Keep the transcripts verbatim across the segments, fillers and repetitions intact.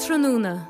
Ardtráthnóna.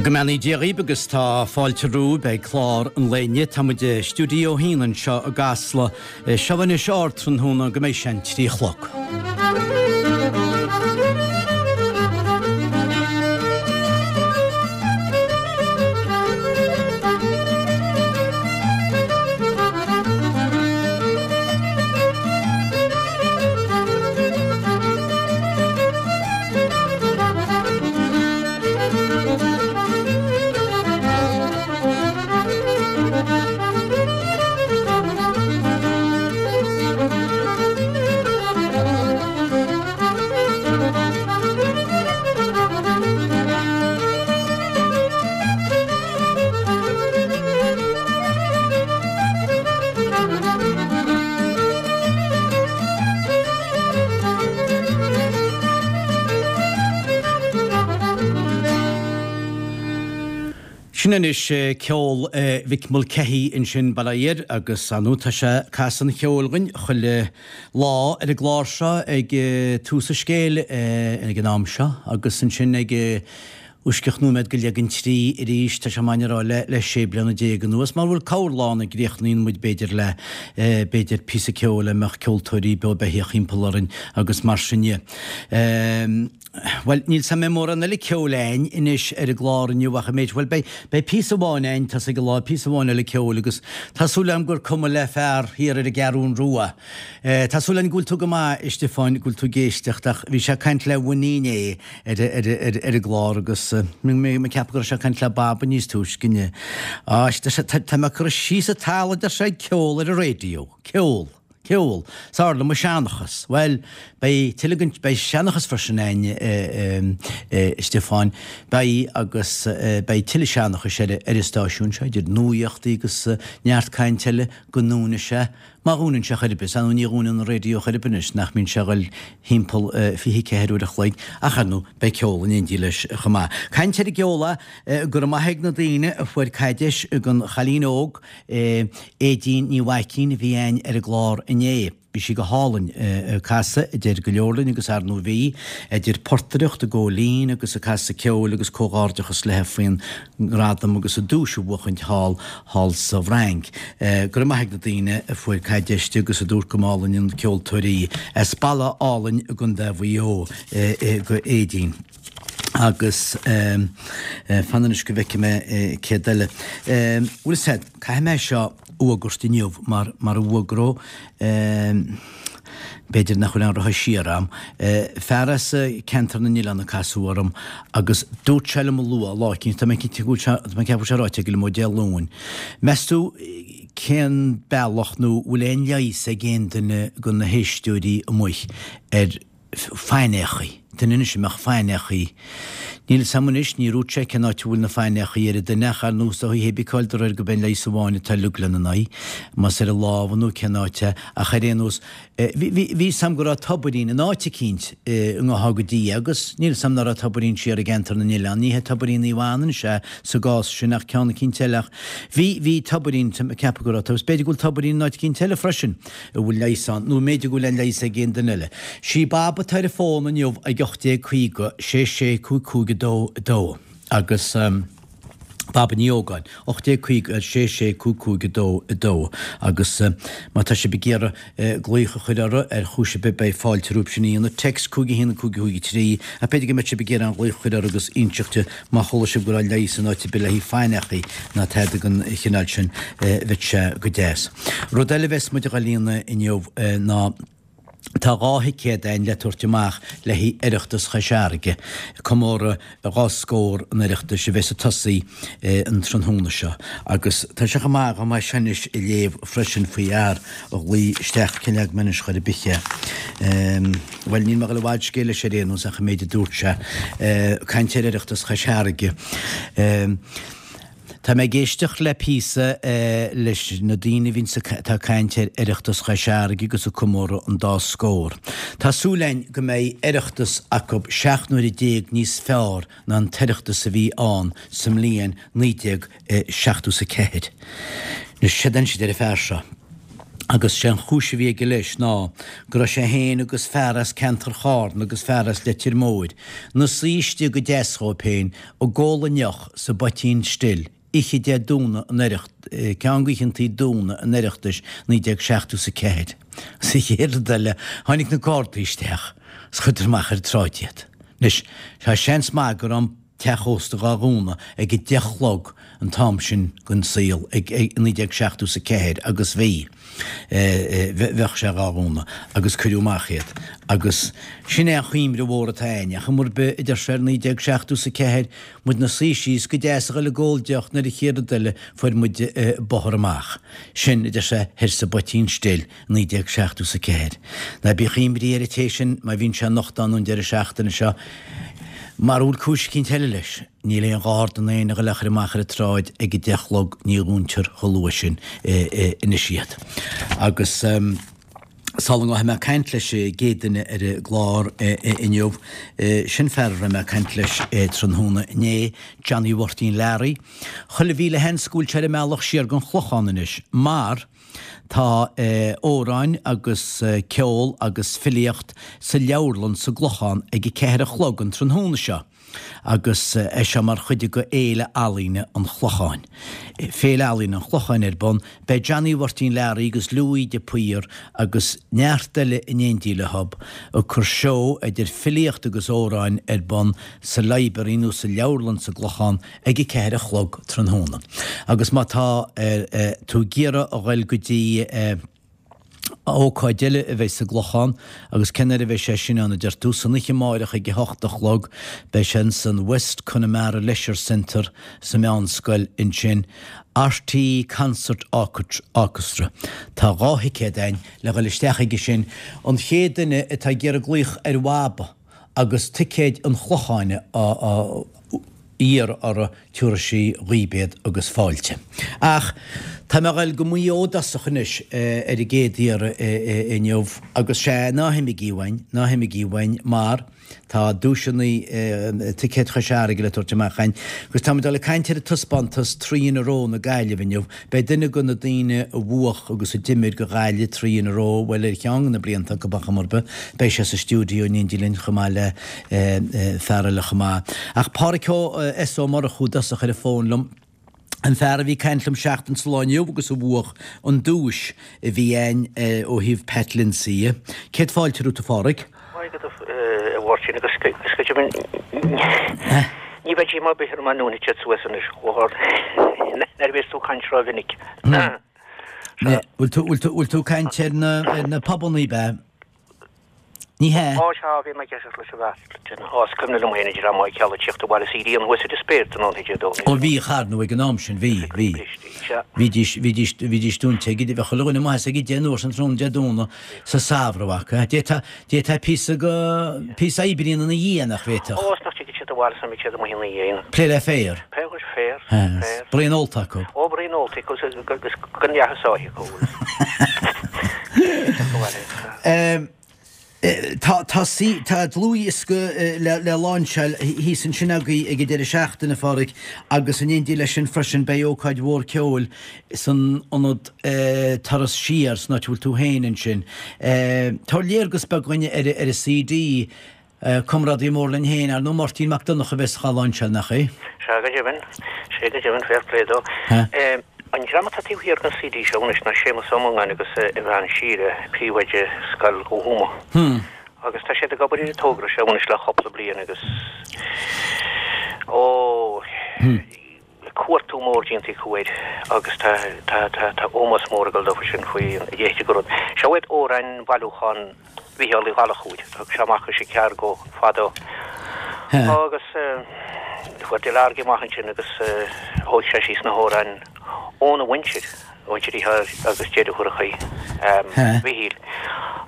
Go mbeannaí Dia dhaoibh agus tá fáilte romhaibh ag clár an lae inniu. Tá muid i stiúideo a haon anseo i gCasla. Seo anois Ardtráthnóna go mbeidh sé an trí a chlog. Sin anois ceol Mhick Mulcahy ansin, bail ó Dhia air, agus ar ndóigh tá sé ag casadh an cheoil dhuinn chuile lá ar an gclár seo ag tús an scéil ag an am seo agus ansin ag uaisceach nóiméad go leath don trí arís, tá sé maith a rá le le sé bliana déag anuas, mar bhfuil corrlá ann a gcríochnaíonn muid b'fhéidir le b'fhéidir píosa ceoil a mbeadh ceoltóirí beo beithíoch thimpeall orainn agus mar sin dhe. Bhuel, níl 's a'm an mbeidh mórán eile ceoil a'ainn anois ar an gclár inniu ach an méid, bhuel, beidh, beidh píosa amháin a'ainn tosaigh an lá, píosa amháin eile ceoil agus tá súil a'm gur cuma le fear thiar ar an gCeathrún Rua. Tá súil a'm go bhfuil tú go maith, a Stiofáin, go bhfuil tú ag éisteacht ach bhí sé ag caint le Winnie inné ar, ar, ar, ar an gclár agus mé ag ceapadh go raibh sé ag caint le Baba níos túisce inniu. Á, tá, tá mé curtha síos an talamh, a deir sé, ag ceol ar an raidió. Ceol. Ceol. 'S fhearr liom an seanchas. Bhuel, beidh tuilleadh den, beidh seanchas freisin a'ainn, a Stiofáin. Beidh agus beidh tuilleadh seanchais ar, ar an stáisiún seo, idir nuachtaí agus neart caint eile, go ndúnfaidh sé, má dhúnann sé chor ar bith. Ar ndóigh ní dhúnann an raidió chor ar bith anois, nach mbíonn sé a dhul thimpeall fiche ceathair uair a chloig, ach ar ndóigh beidh ceol in éindí leis chomh maith. Caint ar an gceol, go raibh maith ag na daoine a fuair caidéis don chailín óg, Aedín Ní Mhaicín a bhí a'ainn ar an gclár inné. Bhí sí go hálainn ag casadh, a deir go leor linn agus ar ndóigh bhí, idir portaireacht, ag gabháil fhoinn agus ag casadh ceoil agus comhghairdeachas léi faoin ngradam agus an duais a bhuachaint thall thall sa bhFrainc. Go raibh maith ag na daoine a fuair caid deis di agus a dúirt go mb'álainn an ceoltóir í. As Baile Álainn i gContae Mhaigh Eo do Aedín. Agus fan anois go bhfeicfidh mé céard eile. Bhuel is ea, caithfidh mé seo a fhuagairt inniu mar mar a bhfuagródh b'fhéidir nach bhfuil aon rotha siar a'm. Fear as Ceantar na nOileán a casadh orm agus dúirt sé liom a lua lá eicínt, tá mé cinnte go bhfuil sé, tá mé ag ceapadh go bhfuil sé ráite aige liom ó Dé Luain. Meas tú cén bealach nó bhfuil aon leigheas ag aon duine de na héisteoirí amuigh ar faighneachaí. Duine anois a mbeadh faighneachaí. Níl 'fhios a'm anois, níor dhúirt sé cén áit a bhfuil na faighneachaí ar an duine ach ar nós dóigh hébí cáil de réir gurb é an leigheas amháin atá uilig lena n-aghaidh, más ar an lámh nó cén áit é, ach ar aon nós, bhí, bhí, bhí 'fhios a'm go raibh tobairín in áit eicínt i ngothá go dtí agus níl 'fhios a'm ná raibh tobairín siar i gceantar na nOileán, ní hé tobairín Naomh Anna anois é sa gcás sin ach ceann eicínt eile ach bhí, bhí tobairín, tá mé ag ceapadh go raibh, agus b'fhéidir go bhfuil tobairín in áit eicínt eile freisin. a bhfuil leigheas ann, nó mb'fhéidir go bhfuil an leigheas ag aon duine eile. Sí Bab atá ar an bhfón inniu ag ocht déag caoga, sé sé cúig cúig a dó a dó agus Baba Ní Ógáin, ocht déag caoga, sé sé cúig cúig a dó a dó agus má tá sibh ag iarraidh glaoch a chur orthu ar chúis ar bith beidh fáilte romhaibh sin a dhéanamh. Text cúig a haon cúig cúig a trí ach b'fhéidir go mbeadh sibh ag iarraidh an ghlaoch a chur orthu agus inseacht di má chuala sibh go raibh leigheas in áit ar bith le haghaidh faighneachaí ná tada den chineál sin bheadh sé go deas. Rud eile a bheas muid a dhul a dhéanamh inniu ná tá dhá thicéad againn le tabhairt amach le haghaidh Oireachtas Chois Fharraige, comóradh dhá scór an Oireachtais a bheas ag tosaí an tráthnóna seo. Agus tá sé chomh maith dhom é seo anois a léamh freisin faoi fhear a ghlaoigh isteach, cén leag mé anois chor ar bith é. Bhuel, níl mé ag dul i bhfad scéil leis ar aon nós ach an méid a dúirt sé. Caint ar Oireachtas Chois Fharraige. Tá mé ag éisteacht le píosa leis na daoine a bhíonns atá ag caint ar Oireachtas Chois Fharraige agus ag comóradh an dá scór. Tá súil againn go mbeidh Oireachtas acu seacht n-uaire déag níos fearr ná an tOireachtas a bhí ann sa mbliain naoi déag seachtó is a ceathair. Anois, séard a dhein siad ar an fear seo. Agus sé an chúis a bhí aige leis ná go raibh sé féin agus fear as ceantar Chárna agus fear as Leitir Móir 'na suí istigh go deas dhóib féin ag ól a ndeoch sa bPoitín Stil oíche Dé Domhnaigh an Oireacht, ceann d'oícheantaí Domhnaigh an Oireachtais naoi déag seachtó is a ceathair. Sa chéad rud eile tháinig na Gardaí isteach is chuireadar amach ar an tsráid iad. Anois, tá seans maith go raibh an teach ósta dhá dhúnadh ag a deich a chlog an t-am sin den saol, ag naoi déag seachtó is a ceathair, agus bhí, bheadh sé dhá dhúnadh, agus cuireadh amach iad. Agus sin é an chuimhne mhór atá a'inn, ach chuma ar bith, a deir sé, ar naoi déag seachtó is a ceathair, muid 'na suí síos go deas a ghoil ag ól deoch nuair a chéad rud eile fuair muid bóthar amach. Sin, a deir sé, thoir sa bPoitín Stil, naoi déag seachtó is a ceathair. Ná bíodh imní ar an té sin má bhíonn sé anocht ann an deireadh seachtaine seo. Mara bhfuil cúis eicínt eile leis, níl aon gharda ná éinne a ghoil á chur amach ar an tsráid ag a deich a chlog, ní dhúntar chomh luath sin anois iad. Agus sula ngabhfaidh mé ag caint leis an gcéad duine ar an gclár inniu, sin fear a raibh mé ag caint leis tráthnóna inné, Johnny Mháirtín Learaí. Chuile mhíle sheans go bhfuil sé ar an mbealach siar gon Chlochán anois, mar Tá amhráin agus ceol agus filíocht sa leabharlann sa gClochán ag a ceathair a chlog an tráthnóna seo agus é seo mar chuid de Fhéile Ealaíne an Chlocháin. Féile Ealaíne an Chlocháin ar bun. Beidh Johnny Mháirtín Learaí agus Louis de Paor agus neart eile in éindí leob ag cur seó idir filíocht agus amhráin ar bun sa library nó sa leabharlann sa gClochán ag a ceathair a chlog tráthnóna. Agus má tá tú ag iarraidh a ghoil go dtí ócáid eile a bheidh sa gClochán, agus cén uair a bheidh sé sin ann a deir tú? San oíche amáireach ag a hocht a chlog beidh sé insan West Connemara Leisure Centre sa Meánscoil ansin, RTÉ Concert Orchestra. Tá dhá thicéad a'inn le ghoil isteach aige sin. An chéad duine atá ag iarraidh glaoch ar Bhaba agus ticéid an Chlocháin á iarraidh orthu, tiúrfaidh sí dhaoib iad agus fáilte. Ach tá mé a ghoil go Maigh Eo i dtosach anois ar an gcéad iarraidh inniu agus sea, ná himigí uainn, ná himigí uainn mar tá duaiseanna ticéid Chois Fharraige le tabhairt amach againn agus táimid ag dul ag caint ar an taispeántas Three in a Row na Gaillimhe inniu. Beidh duine de na daoine a bhuach agus a d'imir go Ghaillimh Three in a Row, bhuel ar cheann de na blianta acu ar chuma ar bith, beidh sé sa stiúideo in éindí linn chomh maith le fear eile chomh maith. Ach Pádhraic S. Ó Murchú i dtosach ar an bhfón liom, an fear a bhí ag caint liom seachtain sa lá inniu agus a bhuach an duais a bhí a'inn ó thaobh Pat Lyndsay. Céad fáilte romhat a Phádhraic. Maith agat a Mháirtín agus go deimhin ní bheidh díomá ar bith orm an uain a suas anois chomh hard nuair a bhíos tú ag caint ró-mhinic. Bhfuil tú ag caint ar na pubannaí, ab ea? Ní hea. Á, sea, bhí mé ag éisteacht leis an bhfear. Á, is cuimhin liom féin an dream Maigh Cealla ag tíocht abhaile is éiríonn thuas ar an spéir tráthnóna Dé Domhnaigh. Ó bhí, ar ndóigh ag an am sin, bhí, bhí. Bhídís, bhídís, bhídís dúnta ag, bheadh chuile dhuine amuigh as ag a deich an uair sin tráthnóna Dé Domhnaigh sa samhradh acu. D'fhéadfá, d'fhéadfá píosa go, píosa oibre a dhéanamh ina dhiaidh, nach bhféadfadh? Ó, is nach dtigeadh siad abhaile is nach mbíodh siad amuigh ina dhiaidh. Plé le féar. Plé le féar, féar. Braon ólta acu. Ó, braon ólta acu agus gan leath a sáith acu. Tá tá tá dlúthdhiosca le le láinseáil thíos ansin agaibh ag an deireadh seachtaine, a Phádhraic, agus in éindí leis sin freisin beidh ócáid mhór ceoil san ionad Turas Siar, san áit a bhfuil tú féin ansin. Tabhair léargas beag dhuinn ar ar an CD. Comrádaí mór linn féin, ar ndóigh, Máirtín Mac Donncha a bheas dhá láinseáil, nach é? Sea, go deimhin. Sea, go deimhin, fair play dó. An dream atá taobh thiar den CD seo anois ná Séamus Ó Mongáin agus a bhean Síle, príomhoide Scoil Thuama. Agus tá siad ag obair ar an togra seo anois le cúpla bliain agus, ó, cuartú mór déanta acu air agus tá, tá, tá, tá ómós mór ag dul dófa sin faoi an dhéite go rud. Seo iad amhráin bailiúchán Mhícheál Uí Ghallchóir, thug sé amach as an Ceargó fadó agus fuair Delargy amach ansin agus thóig sé síos na hamhráin óna mhuintir, mhuintir Mhícheáil agus deirfiúracha Mhichíl.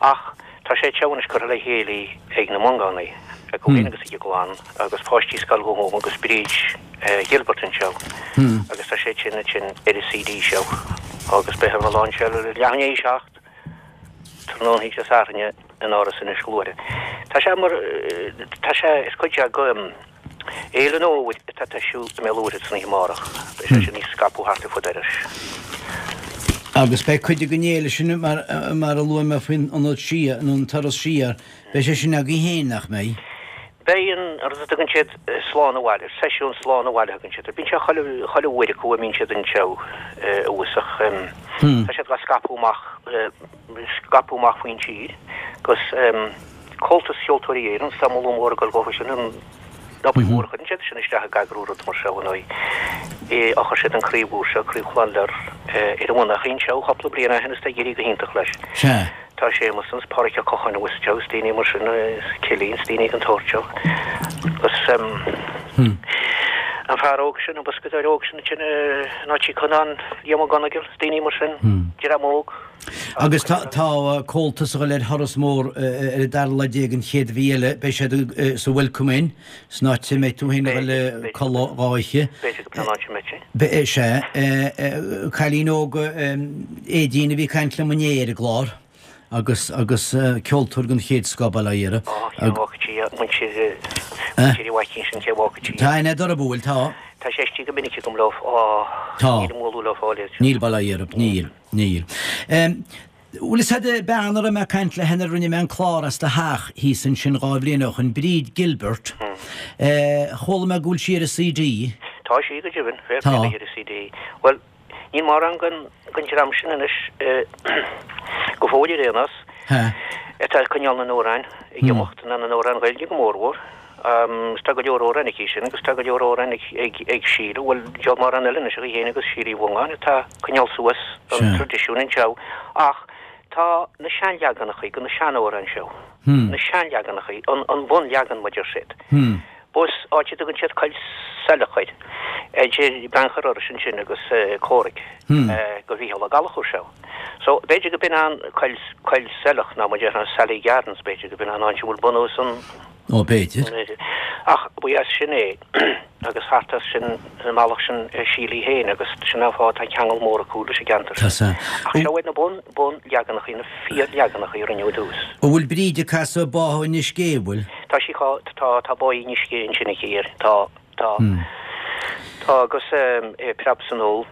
Ach Tá sé seo anois curtha le chéile ag na Mongánaigh, ag Owen agus ag a gclann, agus páistí Scoil Ghúm agus Bríd Gilbert anseo, agus tá sé sin ansin ar an C D seo, agus beidh an lainseáil leath i ndiaidh a seacht tráthnóna Dé Sathairn in Áras Inis Gluaire. Tá sé mar, tá sé, is cuid de Fhéile an Fhómhair atá ag toisiú i mBéal Mhuirthead san oíche amárach. Beidh sé sin ag scaipeadh thart ar fud Iorrais. Agus beidh cuid den fhéile sin, mar mar a luaigh mé faoin ionad siar, nó an turas siar, beidh sé sin agaibh féin, nach mbeidh? Beidh an rud a dtugann siad Slán Abhaile, seisiún Slán Abhaile a thugann siad air. Bíonn sé chuile, chuile uair acu a mbíonn siad anseo abhus ach tá siad dhá scaipeadh amach, scaipeadh amach faoin tír agus Comhaltas Cheoltóirí Éireann, tá moladh mór ag dul dhófa sin, an obair mhór a chuireann siad sin isteach ag eagrú rud mar seo ar ndóigh. Ó chuir siad an chraobh úr seo, Craobh Chlann Lir, ar an bhun ach anseo cúpla bliain ó shin is tá ag éirí go hiontach leis. Sea. Tá Séamus agus Páraic Ó Cocháin abhus anseo agus daoine mar sin, Cillian is daoine den tsórt seo. Agus an fear óg sin, an boscadóir óg sin ansin in Áit Uí Conán, Liam Ó Conaill, is daoine mar sin, dream óg. Agus tá Comhaltas ag dul ar thuras mór ar an dara lá déag den chéad mhí eile, beidh siad sa Welcome Inn, san áit a mbeidh tú féin ag dul a codladh dhá oíche. B'fhéidir go b'in an áit a mbeidh sé. Sea. Cailín óg Aedín a bhí ag caint liom inné ar an gclár agus agus ceoltóir den chéad scoth, bail ó Dhia uirthi. Á, cé bhfágfaidh sí, muintir muintir Uí Mhaicín sin, cé bhfágfaidh sí. Tá, in Doire Bhuail, tá. Tá sé istigh go minic agam leo, á, Tá. níl an mholadh leo fáil iad. Níl, bail ó Dhia orthu, níl, níl. Bhfuil fhios a'd bean a raibh mé ag caint léi nuair a rinne mé an clár as do theach thíos ansin dhá bhliain ó shoin, Bríd Gilbert. Chuala mé go bhfuil sí ar an C D. Tá sí go deimhin, fair Tá. play ar an C D. Bhuel, níl mórán den den dream sin anois go fóill ar aon nós Ha. atá ag coinneáil na n-amhrán ag imeacht, na na n-amhrán Gaeilge go mórmhór. Um, tá go leor amhrán aici sin agus tá go leor amhrán ag, ag, ag Síle, bhuel diabhal mórán eile anois ach í féin agus Síle Uí Mhongáin atá ag coinneáil suas an Sea. traidisiún anseo. Ach tá na seanleaganacha go na seanamhráin seo. Hmm. Na seanleaganacha, an, an bunleagan mar deir siad. Hmm. Bus áit a dtugann siad Coill Saileach air, idir Beannchar Iorrais ansin agus uh, Comhrac Hmm. uh, go Mhícheál Ó Gallchóir seo. So b'fhéidir go b'in an Coill Coill Saileach ná mar deir Sally Gardens b'fhéidir go b'in an áit a bhfuil bunús an Ó b'fhéidir. Ach ba as sin é agus thart as sin an mbealach sin Síle féin agus sin an fáth tá ceangal mór acu leis an gceantar. Tá sa. Ach seo iad na bun bunleaganacha na fíorleaganacha a rinneadh dtús. An bhfuil Bríd ag casadh Báthadh Inis Gé, bhfuil? Tá sí tá tá tá Báthadh Inis Gé ansin aici air. Tá tá tá agus um, é Preab san Ól.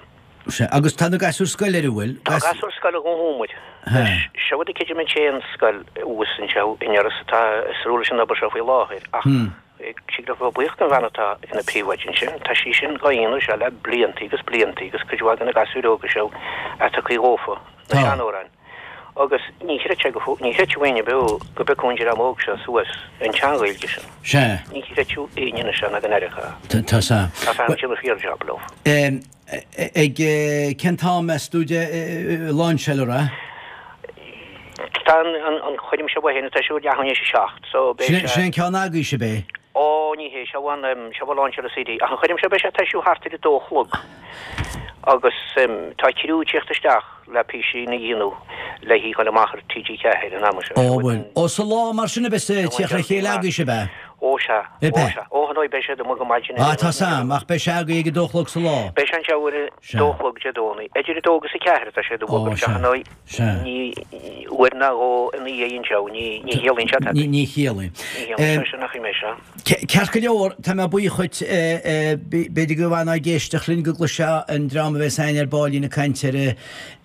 Sea, agus tá na gasúir scoile ar a bhfuil? Tá gasúir scoile go húmaid. Ha. Seo a cid mé sé an scoil abhus anseo in Iorras atá ag leis an obair seo faoi láthair ach si le buíoch an bhean atá ina príomhoide sin, Tá sí sin gaoine se le blianta agus blianta agus cuid mhaith de na gasúir óga seo atá chuí ófa na Tá. seanamhráin. Agus ní chreidfeá go ní chreidfeadh éinne beo go bhfeicfeadh an dream óg seo suas an tsean-Ghaeilge sin. Sea, Ní chreidfeadh éinne na sean an aircha. tá sa. Tá fan sin fíorjob leo. Em, Ag eh, cén t-am meas tú de lainseáil a? Tá an an choirm seo féin tá siú leath i ndiaidh a seacht, so beidh Sin an ceann agaibhse bé. Ó ní hé seo an seo lainseáil C D ach an choirm seo beidh sé ag toisiú thart ar a dó a chlog. Agus um, tá criú ag teacht isteach le píosaí a dhéanamh le hí chun amach ar T G ceathair an am seo. Ó bhfuil. Ó sa lá mar sin a bheas teacht le chéile agaibhse bé. Ó sea, É ó be. sea. Ó hanoi beidh sé go maidin. Ah tá sam ach beidh sé agaibh ag a dó a chlog sa lá. Beidh sé anseo ar Sea. dó a chlog Dé Domhnaigh. Idir a dó agus a ceathair tá sé do Ó, bhog sea. hanoi Sea. ní uair ná dhó ina dhiaidh anseo ní ní chiallaíonn sé Ní ní chiallaíonn. Ní chiallaíonn sé sin nach mé seo. Ceart go leor tá mé buíoch dhuit b'fhéidir go bhfanfaidh ag éisteacht linn go gcloisfidh an dream a bheas againn ar baillín ag caint ar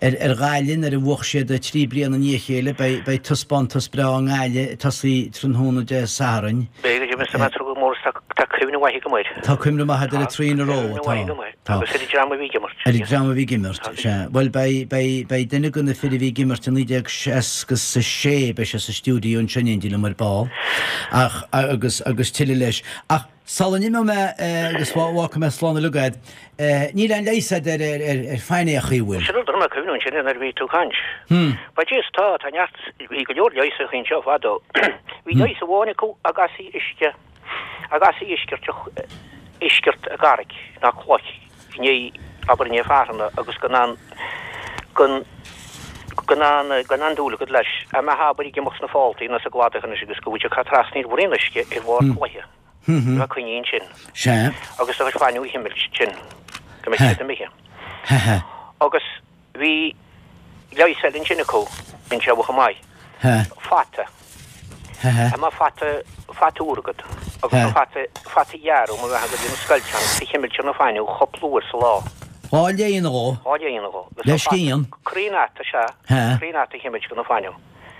ar ar Ghaillimh ar a bhuaigh siad trí bliana i ndiaidh a chéile beidh beidh taispeántas breá i nGaillimh ag tosaí tráthnóna Dé Sathairn. Beidh go mé go mór tá cuimhne mhaith agam air. Tá cuimhne mhaith ar a trí na ró tá Agus ar an dream a bhí ag imirt. Ar an dream a bhí ag imirt sea. Well beidh beidh beidh duine de na fir a bhí ag imirt i naoi déag seasca a sé beidh sé sa stiúideo ansin in éindí liom ar ball ach agus agus tuilleadh leis. Ach sula n-imeoidh mé agus fágfaidh mé slán uilig agat, níl aon leigheas ar ar ar ar phainéachaí bhfuil. Sin rud a cuimhniú sin ar bhí tú ag caint. Ba is tá tá neart bhí go leor leigheas anseo fadó. Bhí leigheas amháin acu agus í uisce agus í uisceart uisceart a garraig ná cloch ní abair ní fearna agus gan an gan Gan an gan an dúil agat leis. A mbeadh abair ag imeacht sna fáltaí nó sa gcladach anois agus go bhfuil sé ag trasna ar bhroinn uisce ar bharr cloiche. Bheadh coinní ansin. Sea. Agus do chuid fainneo a chimilt sin go mbeadh siad imithe. Agus bhí leigheas eile ansin acu, bíonn sé chomh maith. Fata. A mbeadh fata, fata úr agat agus an fata, fata ghearr má bheadh agat lena scoilteán agus a chimilt ar na fainneo cúpla uair sa lá. Dhá léine dhó. Dhá léine dhó. Le scian. Croí an fhata, sea. Croí an fhata a chimilt go na fainneo.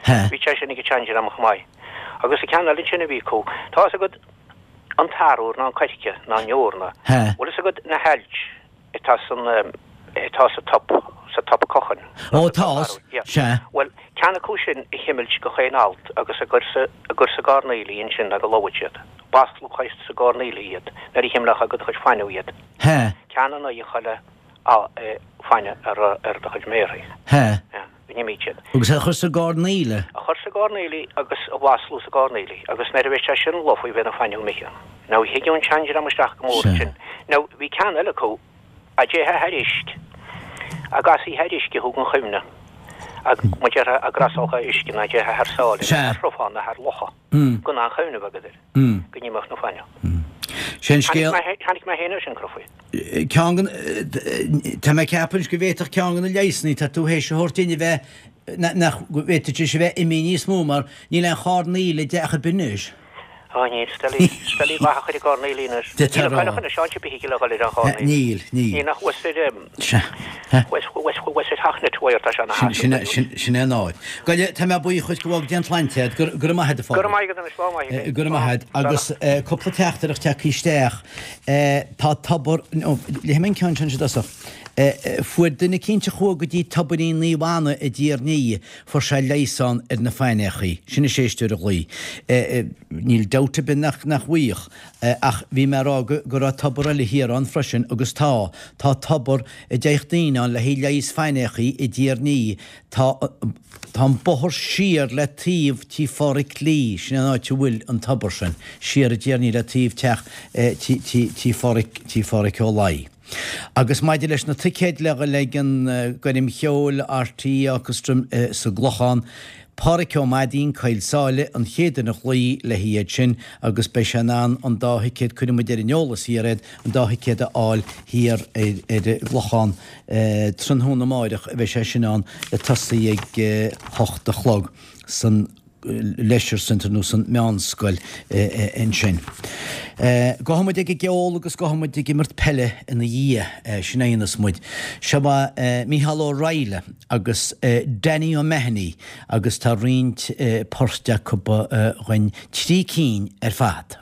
Bhí sé sin ag an tseandream chomh maith. Agus an ceann eile ansin a bhí acu, tá fhios agat an t-arbhar ná an coirce ná an eorna. Bhfuil fhios agat na hailt atá san, atá sa top, sa top cochain. Ó tá fhios, sea. Bhuel, ceann acu sin a chimilt go chaon alt agus a gcur sa, a gcur sa gcoirnéal ansin ná go lobhadh siad. Bhaslódh sa gcoirnéal iad nuair a chimileochthá go do chuid fainneo iad. Ceann in aghaidh chuile fainne ar ar do chuid méarthaí. Go n-imíodh siad. Agus a chur sa gcoirnéal? A chur sa gcoirnéal agus a mhaslú sa gcoirnéal agus nuair a bheadh sé sin lofa bheadh na fainneo imithe. Now thuigeadh an seandream isteach go mór ansin. Now bhí ceann eile acu a dtéifeá thar uisce, a gcasfaí thar uisce thú gan chuimhne, mar déarfá a gcrosóchthá uisce ná dtéifeá thar sáile nó thar sruthán nó thar locha gan aon chuimhneamh agat air, go n-imeodh na fainneo. Sé an scéal. Tháinig mé féin air sin, Crufaí. Ceann den, tá mé ag ceapadh anois go bhféadfadh ceann de na leigheasanna atá tú théis a thabhairt duinn a bheith, nach bhféadfadh sé a bheith imithe níos mó mar níl aon choirnéal i dteach ar bith anois. Á níl, Stellaí, Stellaí maith a chuir i gcoirnéal anois. Níl a chailleach anois áit ar bith ag dul ar an choirnéal. Níl, níl. Níl ach thuas ar, thuas, thuas, thuas ar theach na tuair tá sé ina sheasamh. Sin, sin é an áit. Gabh, tá mé buíoch dhuit go bhfága Dia an tsláinte agat. Go, go raibh maith agat, a Go raibh maith agat anois, lá maith agat. Go raibh maith agat. Agus cúpla teachtaireacht tagtha isteach. Tá tobar, nó, léifidh mé an ceann sin i dtosach. Fuair duine eicínt a chuaigh go dtí Tobairín Naomh Anna i dTír an Fhia, fuair sé leigheas ann ar na faighneachaí. Sin is éisteoir a ghlaoigh. Níl dabht ar bith nach nach bhfaigheadh. Ach bhí mé a rá go go raibh tobar eile thiar ann freisin agus tá. Tá tobar a dtéadh daoine ann le haghaidh leigheas faighneachaí i dTír an Fhia. Tá tá an bóthar siar le taobh tí Pháraic Lee, sin an áit a bhfuil an tobar sin, siar i dTír an Fhia le taobh teach tí tí tí Pháraic tí Pháraic Ó Laoi. Agus maidir leis na ticéid le dhul ag an gcoirm cheoil RTÉ Orchestra sa gClochán, Páraic Ó Maidín, Coill Sáile, an chéad duine a ghlaoigh le hiad sin agus beidh sé in ann an dá thicéad, cuirfidh muid ar an eolas thiar iad, an dá thicéad a fháil thiar ar an gClochán tráthnóna amáireach a bheidh sé sin ann ag tosaí ag hocht a chlog san Leisure Centre nó san meánscoil ansin. Gabhfaidh muid ag an gceol agus gabhfaidh muid ag imirt peile ina dhiaidh, sin é a dhéanfas muid. Seo Mícheál Ó Raghallaigh agus Danny O'Mahony agus tá roinnt poirt acu dhuinn, trí cinn ar fad.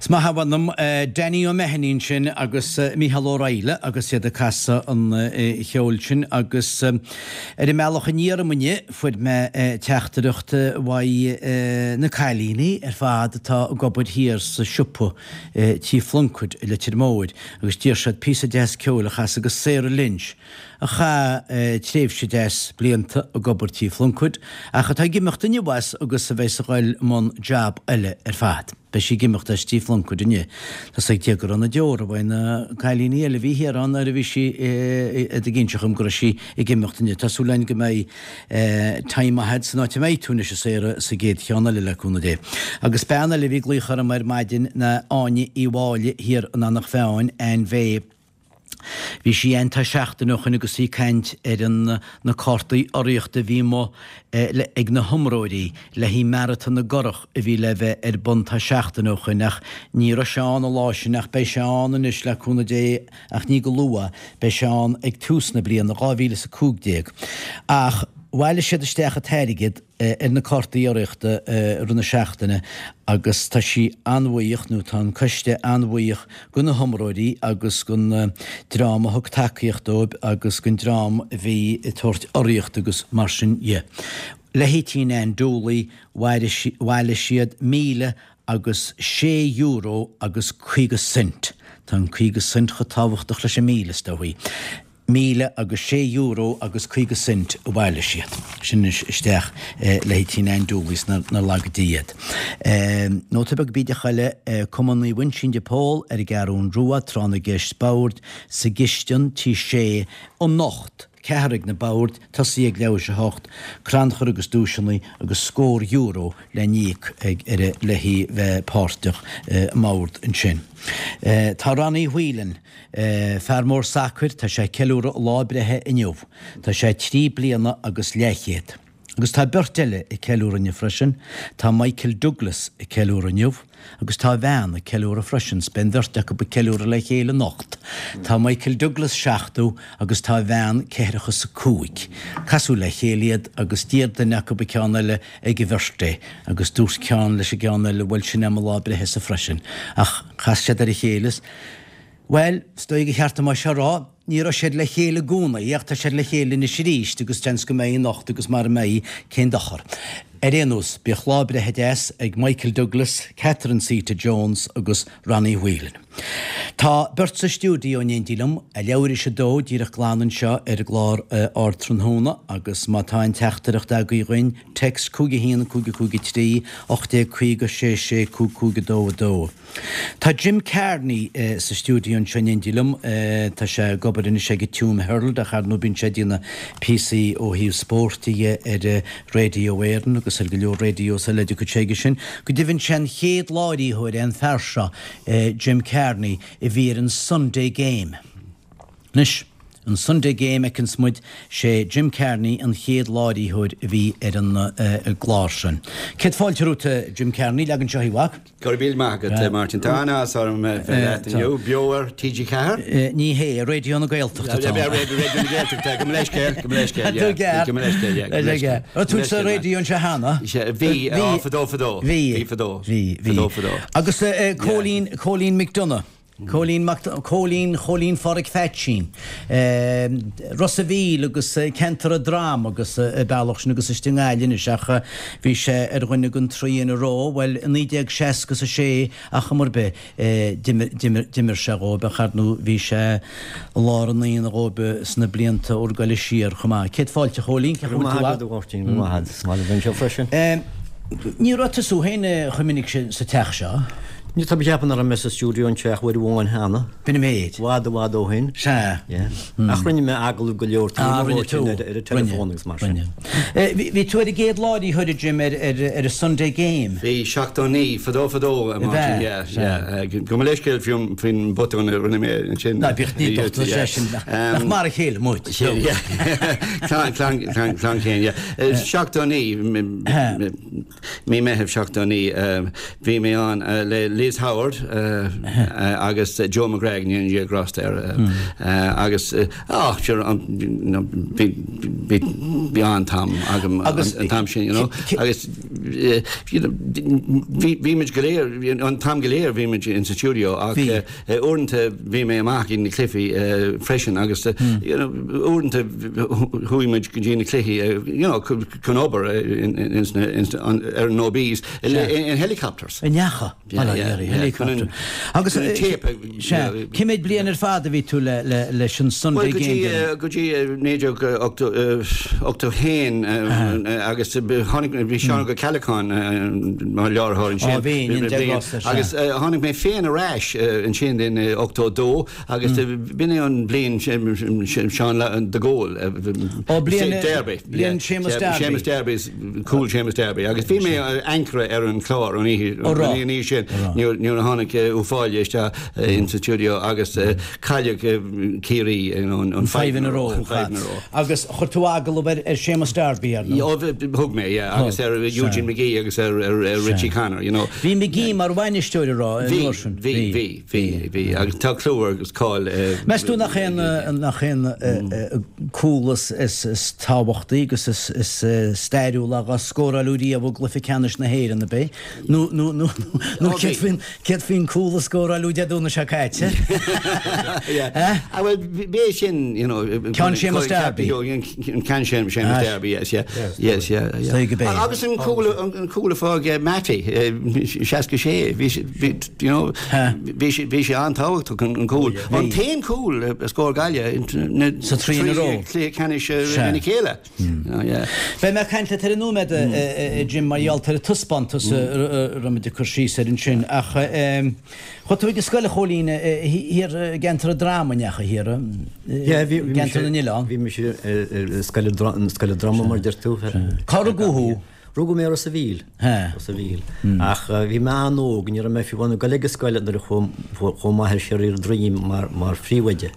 Is maith a mh'anam, Danny O'Mahony ansin agus Mícheál Ó Raghallaigh agus iad ag casadh an cheoil sin agus ar an mbealach aniar uaim inniu fuair mé teachtaireacht uaidh na cailíní ar fad atá ag obair thiar sa siopa Tí Phluincéid i Leitir Móir agus d'iarr siad píosa deas ceoil a chasadh do Sarah Lynch a chaith tréimhse deas blianta ag obair Tí Phluincéid ach atá ag imeacht inniu as agus a bheas ag dul i mbun jab eile ar fad. Beidh sí ag imeacht as Tí Phluincéid inniu. Tá 's ag Dia go raibh na deora uaidh na cailíní eile a bhí thiar ann nuair a bhí sí ag inseacht dhom go raibh sí ag imeacht inniu. Tá súil againn go mbeidh time maith agat san áit a mbeidh tú anois a Sarah sa gcéad cheann eile le cúnamh Dé. Agus bean eile a bhí ag glaoch orm ar maidin ná Áine Uí Mháille thiar in Eanach Mheáin, Ann Bhé. Bhí sí ann tá seachtain ó shoin agus í ag caint ar an na cártaí urraíochta a bhí amuigh ag na hiomróirí le haghaidh Maratón na gCurrach a bhí le bheith ar bun tá seachtain ó shoin ach ní raibh sé ann an lá sin ach beidh sé ann anois le cúnamh Dé ach ní go luath, beidh sé ann ag tús na bliana dhá mhíle is a cúig déag. Ach bhailigh siad isteach an t-airgead ar na cártaí urraíochta i rith na seachtaine agus tá sí an-bhuíoch, nó tá an coiste an-bhuíoch go na hiomróirí agus gon dream a thug tacaíocht dóibh agus gon dream a bhí ag tabhairt urraíocht agus mar sin dhe. Le hAitín Ann Dooley bhailigh siad míle agus sé euro agus caoga cent. Tá an caoga cent chomh tábhachtach leis an míle, is dóigh. Míle agus sé euro agus caoga cent a bhailigh siad. Sin anois isteach le hAitín Ann Dooley is nár laga Dia iad. Nóta beag bídeach eile, Cumann Naomh Uinseann de Pól ar an gCeathrún Rua, Tráth na gCeist Boird sa gcistin, Tí Sé, anocht, ceathair ag na boird, tosaí ag leathuair théis a hocht, crannchur agus duaiseanna agus scór euro le n-íoc ag ar le bheith páirteach i mbord ansin. Tá Ronnie Whelan, fear mór sacair, tá sé ag ceiliúradh a lá breithe inniu. Tá sé trí bliana agus leathchéad. Agus tá beirt eile ag ceiliúradh inniu freisin, tá Michael Douglas ag ceiliúradh inniu agus tá a bhean ag ceiliúradh freisin, 's beidh an bheirt acu ag ceiliúradh le chéile anocht. Tá Michael Douglas seachtó agus tá a bhean ceathracha is a cúig. Casadh le chéile iad agus d'iarr duine acu an ceann eile ag a bhirthday agus dúirt ceann leis an gceann eile bhuel sin é mo lá breithe-sa freisin. Ach chas siad ar a chéile is, bhuel, is dóigh gur cheart dom é seo a rá, ní raibh siad le chéile i gcónaí ach tá siad le chéile anois arís agus seans go mbeidh anocht agus mara mbeidh, cén dochar. Ar aon nós, bíodh lá breithe deas ag Michael Douglas, Catherine Zeta Jones agus Ronnie Whelan. Tá beirt sa stiúideo in éindí liom, a leathuair théis a dó díreach glan anseo ar an gclár Ardtráthnóna agus má tá aon teachtaireacht agaibh dhuinn, text cúig a haon cúig a cúig a trí, ocht déag caoga sé sé cúig cúig a dó a dó. Tá Jim Kearney sa stiúideo anseo in éindí liom. Tá sé ag obair anois ag an Tuam Herald ach ar ndóigh bíonn sé ag déanamh píosaí ó thaobh spóirt dhe ar Radio Éireann agus ar go leor radios eile a dtiocfaidh sé aige sin. Go deimhin sé an chéad láithreoir é an fear seo, Jim Kearney, a bhí ar an Sunday Game. Anois, an Sunday Game a fheiceanns muid, sé Jim Kearney an chéad láithreoir a bhí ar an gclár sin. Céad fáilte romhat, a Jim Kearney, leag anseo í, a mhac. Go raibh míle maith agat, Martin. Tá an-áthas orm bheith leat inniu, beo ar T G Ceathair. Ní hé, Raidió na Gaeltachta atá ann. Raidió na Gaeltachta, gabh mo leithscéal, gabh mo leithscéal, yeah. Gabh mo leithscéal, yeah. Gabh mo leithscéal. Raibh tú sa raidió anseo cheana? Bhí, fadó fadó. Bhí. Bhí fadó. Bhí, bhí. Fadó fadó. Agus Cóilín, Cóilín McDonagh. Cóilín Mac Cóilín Chóilín Phádraic Pheaitsín, Ros a' Mhíl agus ceantar an Drom agus an bealach sin agus istigh i nGaillimh anois ach bhí sé ar dhuine den trí in a row, bhuel i naoi déag seasca is a sé ar chuma ar bith d'imir d'imir d'imir sé dhóibh ach ar ndóigh bhí sé i lár an aonaigh dhóibh sna blianta úr ag goil siar chomh maith. Céad fáilte a Chóilín, cén chaoi a bhfuil tú? Go raibh maith agat a Mháirtín, go raibh maith agat. Is maith liom bheith anseo freisin. Ní raibh tusa féin chomh minic sin sa teach seo. Ní tá mé ag ceapadh nach raibh mé sa stiúideo anseo ach uair amháin cheana. B'in an méid. I bhfad i bhfad ó shin. Sea. Yeah. Ach rinne mé agallamh go leor Ah, rinne tú. ar an teileafón agus mar sin. Rinne. Bhí tú ar an gcéad láithreoir, a Jim, ar ar an Sunday Game. Bhí, seachtó naoi, fadó fadó, a Mháirtín, yeah, yeah. Gabh mo leithscéal faoin botún a rinne mé ansin. Ná bíodh ní docht sé sin. Nach mar a chéile muid. Yeah. Clann, clann, clann, clann chéin, yeah. Seachtó naoi, mí Meitheamh seachtó naoi, bhí mé ann le Liz Howard agus Joe McGrath ní an grásta air agus ah sure bhí bhí an-am agam an t-am sin you know agus bhí muid go léir an t-am go léir bhí muid in sa studio ach uaireanta bhí mé amach in na cluichí freisin agus you know uaireanta chuaigh muid go dtí na cluichí you know chun obair ar an OBs in helicopters. In neacha helicopter. Agus cé mhéad bliain ar fad a bhí tú leis an Sunday Game? Go dtí naoi déag ochtó haon agus tháinig bhí Seán Ó Ceallacháin mar láithreoir ansin. Agus tháinig mé féin ar ais ansin in ochtó dó agus b'in é an bliain Seán de Gaulle. Ó bliain Derby. Bliain Seamus Darby. Seamus Darby cúl Seamus Darby agus bhí mé anchor ar an chlár an oíche sin nuair a tháinig Ó Fáile isteach in sa studio agus cailleadh Ciarraí an five in a row. Agus chuir tú agallamh ar Seamus Darby ar nó? Thug mé agus ar Eugene McGee agus ar Richie Connor you know. Bhí McGee mar bhainisteoir rá Bhí bhí bhí bhí agus tá clú agus cáil. Meas tú nach aon nach aon cúl is is tábhachtaí agus is is stairiúla a scóráladh riamh i gcluiche ceannais na hÉireann ab é nó nó nó nó céard faoin cúl a scóráladh Dé Domhnaigh seo caite. Ah well b'é sin you know Ceann Seamus Darby. Ceann Seamus Darby yes yeah yes yeah yeah. Agus an cúl an cúl a fuair Matty seasca sé bhí you know bhí bhí sé an-tábhachtach an cúl. An t-aon cúl a scór Gaillimh sa trí in a row. Cluiche ceannais ina chéile. Beidh mé caint leat ar an nóiméad Jim mar gheall ar taispeántas a raibh muid ag cur síos ar ansin ach chuaigh tú ag an scoil a Chóilín thiar i gceantar an Droma neacha thiar gceantar na nOileán. Bhí mise ar scoil scoil Droma mar deir tú. Cá rugadh thú? Rugadh mé Ros a' Mhíl. Ros a' Mhíl. Ach bhí mé an-óg, ní raibh mé fiú ag dul ag an scoil nuair a chuaigh m'athair siar ar Droim mar mar phríomhoide.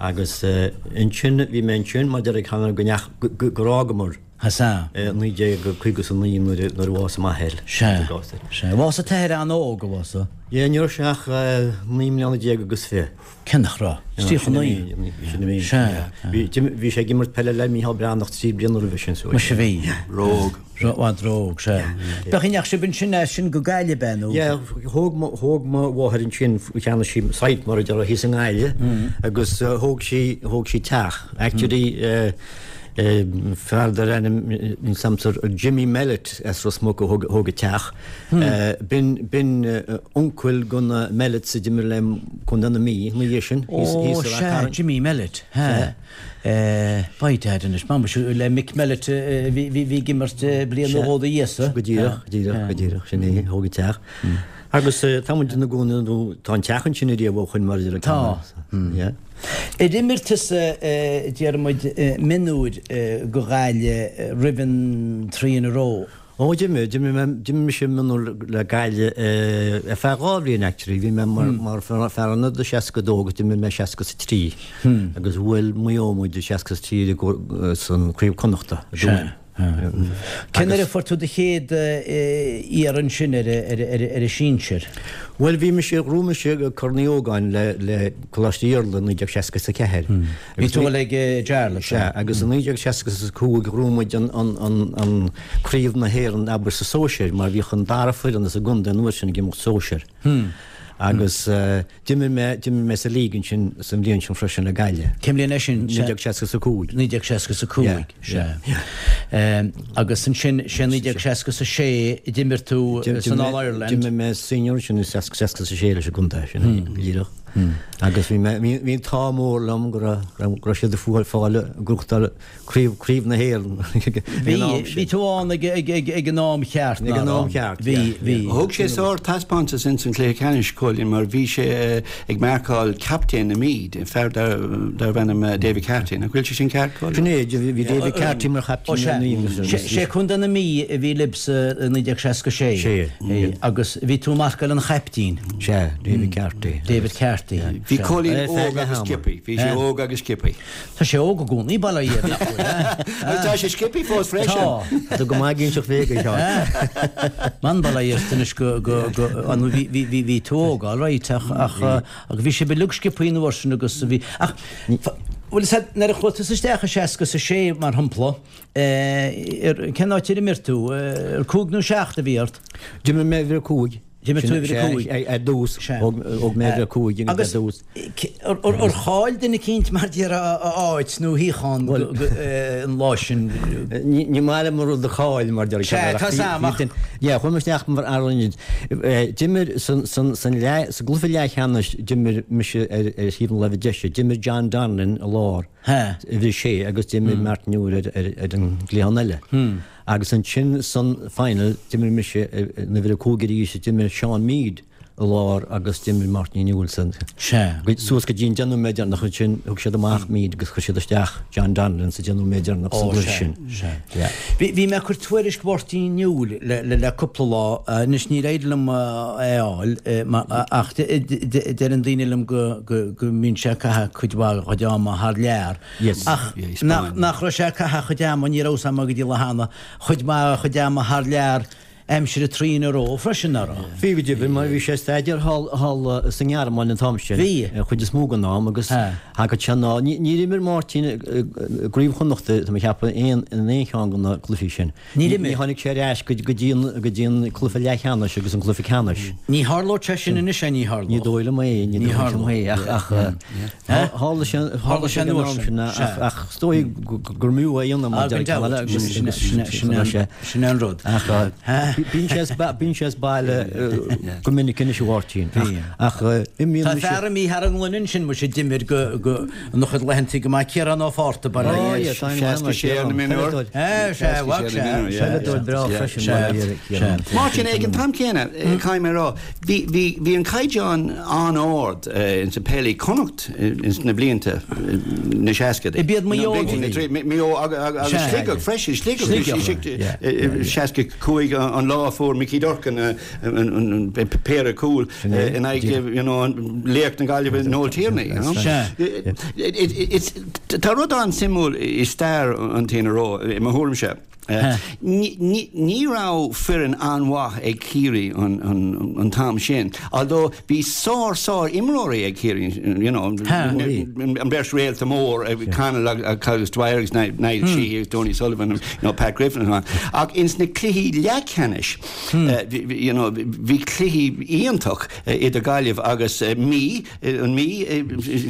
Agus ansin bhí mé ansin mar deir ag go neach gur fhágamar. Sea. naoi déag caoga is a naoi nuair nuair a bhásaigh m'athair. Sea. Sea. Bhásaigh t'athair an-óg a bhásaigh. Yeah, ní raibh sé ach naoi mbliana déag agus fiche. Cén nach raibh? Tríocha naoi. Sin a bhí. Sea. Bhí sé ag imirt peile le Mícheál Breathnach trí bliana roimhe sin. Muise bhí. Róg. Bhfad róg, sea. Bheadh inneach sibh ansin as sin go Gaillimh é nó? Yeah, thóg thóg mo mháthair ansin cheannaigh sí site mar a déarfá thíos i nGaillimh agus thóg sí thóg sí teach. Actually fear dar ainm samsar Jimmy Mellett as Ros Muc a thóg thóg an teach. B'in b'in uncail go na Mellett a d'imir le Contae na Mí ina dhiaidh sin. Ó sea, Jimmy Mellett. Ha. By dad anois, má le Mick Mellett bhí bhí ag imirt bliain nó dhó do Íosa. Go díreach, go díreach, go díreach, sin é, thóg an teach. Agus tá muid ina gcónaí nó tá an teach ansin ariamh ó shoin mar a deir Tá. Yeah. Ar imir tusa deir muid mionúir go Gaillimh roimh an trí in a row. Ó d'imir, d'imir mé d'imir mise mionúir le Gaillimh ar feadh dhá bhliain actually, bhí mé mar mar fear ionad i seasca dó agus d'imir mé seasca is a trí. Agus bhuail Maigh Eo muid i seasca is a trí san Craobh Connachta i dTuaim. Cén uair a fuair tú do chéad iarraidh ansin ar ar an sinsir? Bhuel bhí mise ghnóthaigh mise Corn Uí Ógáin le le Coláiste Iarla naoi déag seasca is a ceathair. Bhí tú ag Jarlath. Sea, agus i naoi déag seasca is a cúig ghnóthaigh muid an an an an Craobh na hÉireann abair sa sóisir mar bhíodh an dara foireann as an gcontae an uair sin ag imeacht sóisir. Agus d'imir mé d'imir mé sa league ansin sa bhliain sin freisin le Gaillimh. Cén bhliain é sin? naoi déag seasca is a cúig. naoi déag seasca is a cúig, sea. Agus ansin sé naoi déag seasca is a sé a d'imir tú san All Ireland. D'imir mé senior ansin i seasca seasca is a sé leis an gcontae sin go díreach. Agus bhí mé bhí bhí an t-ádh mór liom go raibh go raibh siad ag fáil fáil gnóthachtáil craobh craobh na hÉireann Bhí bhí tú ann ag ag ag ag an am cheart Ag an am cheart, Bhí bhí. Thug sé sár taispeántas ins an chluiche ceannais Cóilín mar bhí sé ag marcáil captaen na Mí, fear darb ainm David Carty. Nach bhfuil sé sin ceart Cóilín? Sin é, bhí David Carty mar chaptaen na Mí. Sé Contae na Mí a bhí libhse i naoi déag seasca sé. Sé. Agus bhí tú marcáil an chaptaen. Sea, David Carty. David Carty. ceart. Bhí Cóilín óg agus sciobtha, bhí sé óg agus sciobtha. Tá sé óg i gcónaí, bail ó Dhia air, nach bhfuil, eh? Tá sé sciobtha fós freisin. Tá. Tá go maith ag inseacht bhéige, Seán. Man, bail ó Dhia ort anois go, go, go, an bhí, bhí, bhí, bhí tú óg, all right, ach, ach, ach bhí sibh uilig sciobtha an uair sin agus bhí, ach, bhfuil fhios a'd, nuair a chuaigh tusa isteach i seasca is a sé, mar shampla, eh, ar, cén áit ar imir tú? Ar cúig nó seacht a bhí ort? D'imir mé uimhir a cúig. D'imir tú uimhir a cúig. Ar dtús, thóg mé uimhir a cúig ar dtús. Ar chaill duine eicínt mar déarfá a áit nó shuíochán an lá sin? Ní maith liom an rud a chaill mar déarfá. Sea, tá 's a'm ach. Yeah, chuaigh mé isteach mar fhear ionaid. D'imir sa gcluiche leathcheannais d'imir mise ar thaobh na láimhe deise. D'imir John Donnellan i lár, uimhir a sé, agus d'imir Martin Newell ar an gcliathán eile. Agus ansin san final d'imir mise in uimhir a cúig arís, d'imir Seán Meade i lár agus d'imir Martin Newell san. Sea. Suas go dtí an deich nóiméad deireanach ansin thug siad amach Meade agus chuir siad isteach John Donnellan sa deich nóiméad deireanach sa gcluiche sin. Sea, sea. Bhí, bhí mé ag cur tuairisc Mháirtín Newell le, le, le cúpla lá, anois níor éirigh liom é a fháil ach deireann daoine liom go, go, go mbíonn sé ag caitheamh cuid mhaith dá chuid ama thar lear. Yes. Ach nach, nach raibh sé ag caitheamh a chuid ama, ní raibh 'fhios a'm go dtí le hana, chuid mhaith dá chuid ama thar lear aimsir an Traoin Ero freisin, nach raibh? Bhí go deimhin, mar bhí sé ag staidéar thall, thall sa nGearmáin an t-am sin, Bhí. an chuid is mó den am, agus thagadh sé anall. Ní, níor imir Máirtín i gCraobh Chonnachta, tá mé ag ceapadh, aon, in aon cheann de na cluichí sin. Níor imir. Ní tháinig sé ar ais go, go dtí an, go dtí an cluiche leathcheannais agus an cluiche ceannais. Ní tharlódh sé sin anois, é, ní tharlódh. Ní dóigh liom é, ní dóigh liom é, ach, ach, tharla sé, tharla sé an uair sin, ach, ach is dóigh gur mb'fhiú é a dhéanamh mar Sin, sin an rud. Ach bíonn sé as, bíonn sé as baile go minic anois a Mháirtín, ach, ach imíonn Tá fear imithe thar an ngluine ansin muise d'imir go, go, ina chuid laethanta go maith Ciarán Ó Fátharta bail ó Dhia air. Seasca sé ar na mionúir. Sea, bheadh sé. Peileadóir breá freisin mar a dheir Ciarán. Máirtín, ag an t-am céanna, caithfidh mé a rá, bhí, bhí, bhí an caighdeán an-ard ins an peil i Connacht ins na blianta na seascaidí. B'iad Maigh Eo a bhí. Maigh Eo agus Sligeach freisin, Sligeach, seasca cúig an lá a fuair Mickey Durkan an péire cúl in aghaidh, you know, laoch na Gaillimhe Noel Tierney, you know. Tá rud an-suimiúil i stair an T N R O, i mo thuairimse. Ní raibh foireann an-mhaith ag Ciarraí an t-am sin, although bhí sár sár imreoirí ag Ciarraí, you know, an bheirt réalta mór, Connell agus Dwyer agus Niall Sheehy agus Donie Sullivan, you know, Pat Griffin and so on. Ach ins na cluichí leathcheannais, you know, bhí cluichí iontach idir Gaillimh agus Mí, an Mí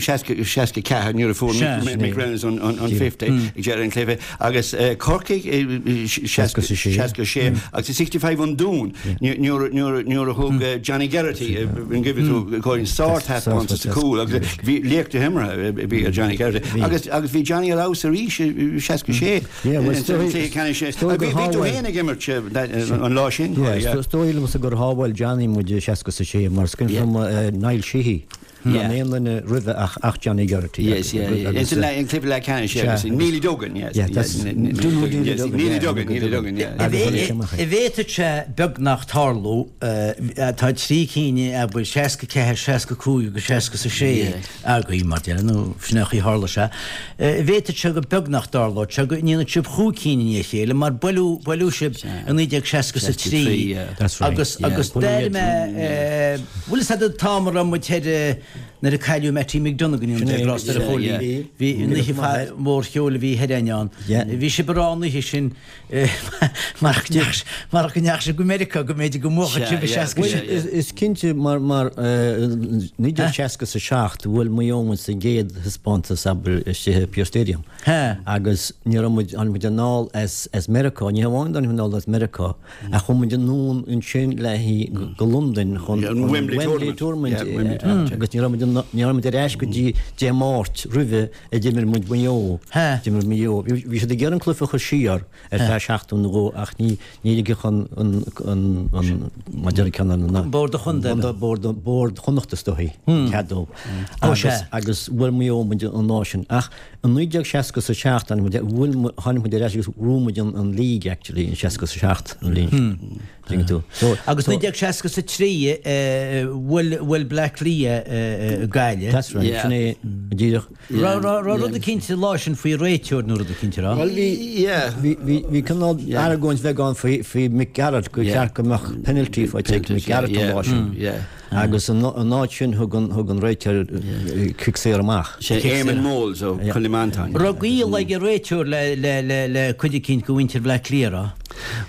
seasca seasca ceathair nuair a fuair Mick Reynolds an an fifty ag deireadh an chluiche agus Corcaigh seasca seasca sé agus i sixty five an Dún nuair nuair nuair a thug Johnny Geraghty an gcuimhin tú cóilín sárthaispeántas sa chúl agus bhí laoch na himeartha a bhí ar Johnny Geraghty agus agus bhí Johnny ar fheabhas arís i seasca sé sa chluiche ceannais. Bhí tú féin ag imirt an lá sin. Is dóigh liomsa gur shábháil Johnny muid i seasca is a sé mar is cuimhin liom Niall Sheehy gan aon duine roimhe ach ach Johnny Geraghty. Yes, yeah, yeah. It's an an cluiche leathcheannais, yeah, agus Neely Duggan, yes. Yeah, that's Neely Duggan, Neely Duggan, yeah. An bhféadfadh sé beagnach tarlú, tá trí cinn abair seasca ceathair, seasca cúig agus seasca is a sé agaibh mar déarfá, nó sin é an chaoi a tharla sé. An bhféadfadh sé go beagnach dtarlódh sé go ndéanfadh sibh chúig cinn i ndiaidh a chéile mar buaileadh buaileadh sibh i naoi déag seasca is a trí agus agus d'airigh mé bhfuil fhios agat an t-am a raibh muid thoir nuair a cailleadh Mattie McDonagh in Ionad Glas ar a Chóilín. Bhí an oíche mhór cheoil a bhí thoir ann. Bhí sibh ag rá an oíche sin mar go ndeachaigh sibh go Meiriceá go mb'fhéidir go mbuafadh sibh i seasca sé. Is cinnte mar mar naoi déag seasca is a seacht bhuail Maigh Eo muid sa gcéad thaispeántas abair istigh i Pearse Stadium agus ní raibh muid tháinig muid anall as as Meiriceá ní hamháin tháinig muid anall as Meiriceá ach chuaigh muid anonn ansin le go Londain chun an Wembley Tournament agus ní raibh muid ní raibh muid ar ais go dtí Dé Máirt roimhe a d'imir muid Maigh Eo. D'imir Maigh Eo. Bhí siad ag iarraidh an cluiche a chur siar ar feadh seachtain nó dhó ach ní ní ligfeadh an an an an mar deir ceann an Bord an Chontae. Bord Bord Chonnacht is dóichí cead dó. Agus agus bhuail Maigh Eo muid an lá sin. Ach i naoi déag seasca is a seacht tháinig muid bhuail tháinig muid ar ais agus bhuaigh muid an an league actually in seasca is a seacht an bhliain sin. Tuigeann tú. So, Agus naoi déag seasca is a trí bhuail bhuail Bleá Cliath Gaillimh. That's right, Yeah. sin é díreach. Raibh raibh raibh rud eicínt an lá sin faoi réiteoir nó rud eicínt, raibh? Well, bhí, yeah. Bhí bhí bhí cineál argóint bheag ann faoi faoi Mick Garrett gur Yeah. cheart go mbeadh penalty faighte ag Mick Garrett an lá sin. Yeah. Agus an an áit sin thug an thug an réiteoir cic saor amach. Sé Eamon Moles ó Cill Mhantáin. Raibh gaol ag an réiteoir le le le le cuid eicínt de mhuintir Bhleá Cliath, raibh?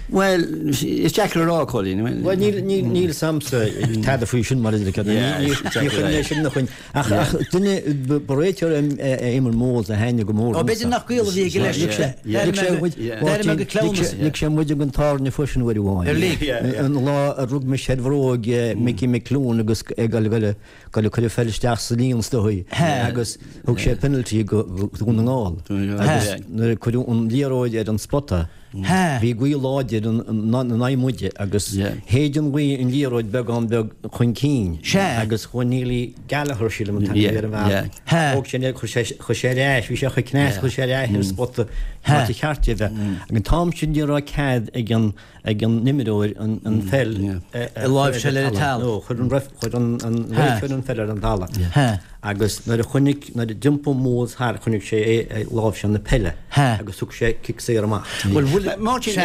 Well, is deacair a rá, Colin. Well, níl níl níl 's a'msa tada faoi sin mar is Yeah, ní exactly chun right. sin na chun ach ach duine ba réiteoir Eamon Moles a thaitnigh go mór. Ó, b'fhéidir nach gaol a bhí aige leis. Lig sé muid- D'airigh mé go cleamhnas. Lig sé muid ag an tábhairne freisin uair amháin. Ar lig? An lá a rug mise ar bhróg Mickey McCloone agus ag goil goil goil cuir feil isteach sa líon is dóigh agus thug sé penalty go Dún na nGall. Agus nuair a cuireadh an liathróid ar an spota, bhí gaoth láidir in aghaidh muide agus shéid an ghaoth an liathróid beagán beag chun cinn agus chuaigh Neilí Gallagher sílim an t-ainm ar an bhfear. Thóg sé chuir sé chuir sé ar ais, bhí sé chomh cneasta chuir sé ar ais ar an spota mar ba cheart é bheith. Ag an t-am sin ní raibh cead ag an ag an imreoir an an pheil a láimhseáil ar an talamh. No, chuir an ref chuir an an réiteoir an pheil ar an talamh. Agus nuair a chonaic nuair a d'iompaigh Moles thart chonaic sé é ag láimhseáil na peile agus thug sé cic saor amach. Well, Máirtín,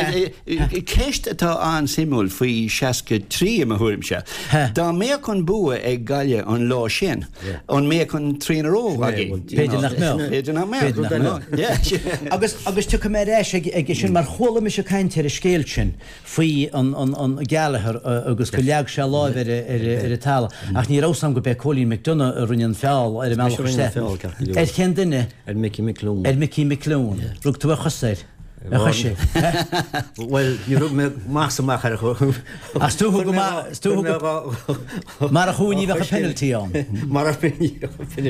ceist atá an-suimiúil faoi seasca trí i mo thuairimse. Dá mbeadh an bua ag Gaillimh an lá sin, an mbeadh an trí in a row againn? B'fhéidir nach mbeadh. B'fhéidir nach mbeadh. B'fhéidir nach mbeadh. Agus agus tiocfaidh mé ar ais ag ag sin mar chuala mise caint ar an scéal sin faoi an an an Gallagher agus go leag sé lámh ar ar ar an talamh. Ach ní raibh 's a'm go b'é Cóilín McDonagh a rinne an feall ar an mbealach isteach. Ar cén duine? Ar Mickey McCloone. Ar Mickey McCloone. Rug tú a chos air. A chois é. Well, ní rug mé más amach ar cho. As tú go tú mar a chuaní bheith a penalty ann. Mar a penalty.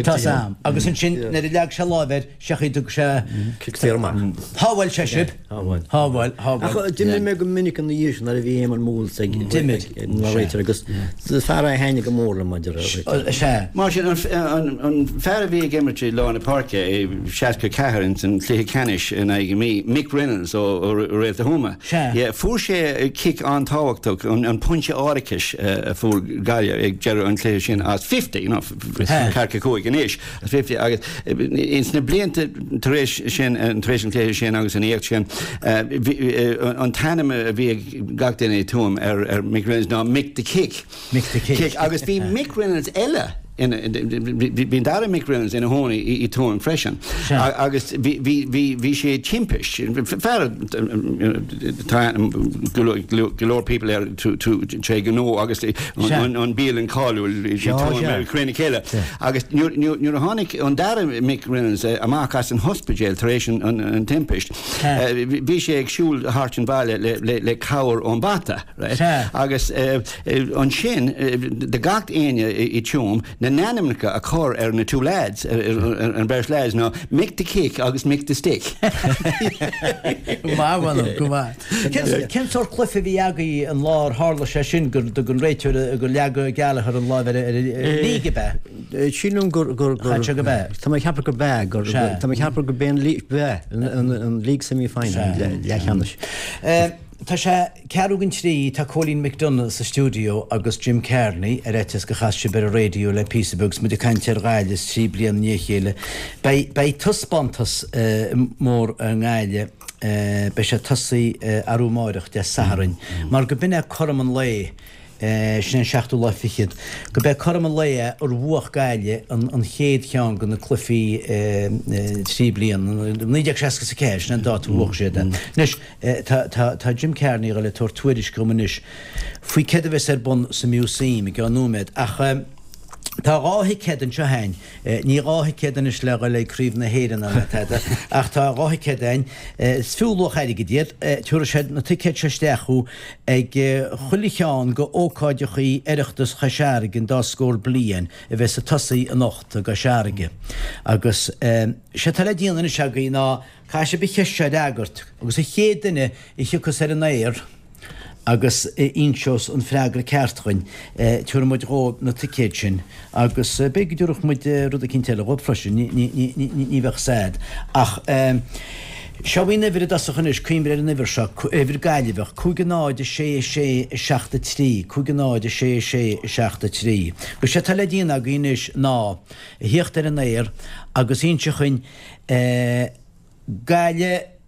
Tá sam. Agus ansin nuair a leag sé lámh air seachaid thug sé Cic saor amach. Shábháil sé sibh. Shábháil. Shábháil, shábháil. Ach d'imir mé go minic ina dhiaidh sin nuair a bhí Eamon Moles ag D'imir. mar réiteoir agus fear é a thaitnigh go mór liom maidir le Sea. Mar sin an an fear a bhí ag imirt i lár na páirce i seasca ceathair in san cluiche ceannais in aghaidh na Mí, Mick Reynolds ó ó Réalta Thuama. Sea. Yeah, fuair sé cic an-tábhachtach an an pointe árachais a fuair Gaillimh ag deireadh an chluiche sin as fifty, you know, ceathracha cúig anois, as fifty agus ins na blianta tar éis sin tar éis an chluiche sin agus an éacht sin an t-ainm a bhí ag gach duine i Tuaim ar ar Mick Reynolds ná Mick the Kick. Mick the Kick. Kick. Agus bhí Mick Reynolds eile bhí an dara Mick Reynolds ina chónaí i Tuaim freisin. Agus bhí sé timpist, fear tá go leor people air tré gnó agus an bialann cáiliúil i Tuaim ar Cré na Cille. Agus nuair a tháinig an dara Mick Reynolds amach as an ospidéal tar éis an timpist, bhí sé ag siúl thart an bhaile le cabhair ón bata. Agus ansin de gach éinne i Tuaim na n-ainmneacha a chur ar na two lads, an beirt lads ná Mick the Kick agus Mick the Stick. Go maith, go maith. Cén sórt cluiche a bhí agaibh an lá ar tharla sé sin gur dtug an réiteoir gur leag Gallagher an lámh ar league ab ea? Sílim gur gur gur Chaith sé go b'ea. Tá mé ag ceapadh gur b'ea gur tá mé ag ceapadh gur b'é an b'ea an league semi-final leathcheannais. Tá sé ceathrú don trí, tá Cóilín McDonagh sa stiúideo agus Jim Kearney ar fhaitíos gur chas sibh ar an raidió le píosa beag 's muid ag caint ar Ghaillimh trí bliana i ndiaidh a chéile. Beidh beidh taispeántas mór i nGaillimh, beidh sé ag tosaí arú amáireach, Dé Sathairn, mar go b'in é cothrom an lae, sin an seachtú lá fichead, go b'é cothrom an lae é ar bhuach Gaillimh an chéad cheann de na cluichí trí bliana, naoi déag seasca is a ceathair, sin an dáta a bhuach siad é. Anois, tá Jim Kearney ag dul ag tabhairt tuairisc dhom anois faoi céard a bheas ar bun sa Museum i gceann nóiméad, ach tá dhá thicéad anseo a'inn, ní dhá thicéad anois le dhul ag Craobh na hÉireann ná tada, ach tá dhá thicéad a'inn, is fiú luach airgid iad, tabharfaidh siad na ticéid seo isteach thú ag chuile cheann go ócáideachaí Oireachtas Chois Fharraige an dá scór bliain a bheas ag tosaí anocht i gCois Fharraige. Agus sé atá le déanamh anois agaibh ná caithfidh sibh an cheist seo a fhreagairt agus an chéad duine a thiocfas ar an aer, agus a inseos an freagra ceart dhuinn, tabharfaidh muid dhóibh na ticéid sin agus b'fhéidir go dtabharfadh muid rud eicínt eile dhóibh freisin, ní bheadh sad. Ach Seo í an uimhir i dtosach anois, cuimhnigh ar an uimhir seo, uimhir Gaillimheach, cúig a náid a sé a sé a seacht a trí, cúig a náid a sé a sé a seacht a trí. Agus sé atá le déanamh agaibh anois ná a thíocht ar an aer agus inse chugainn Gaillimh,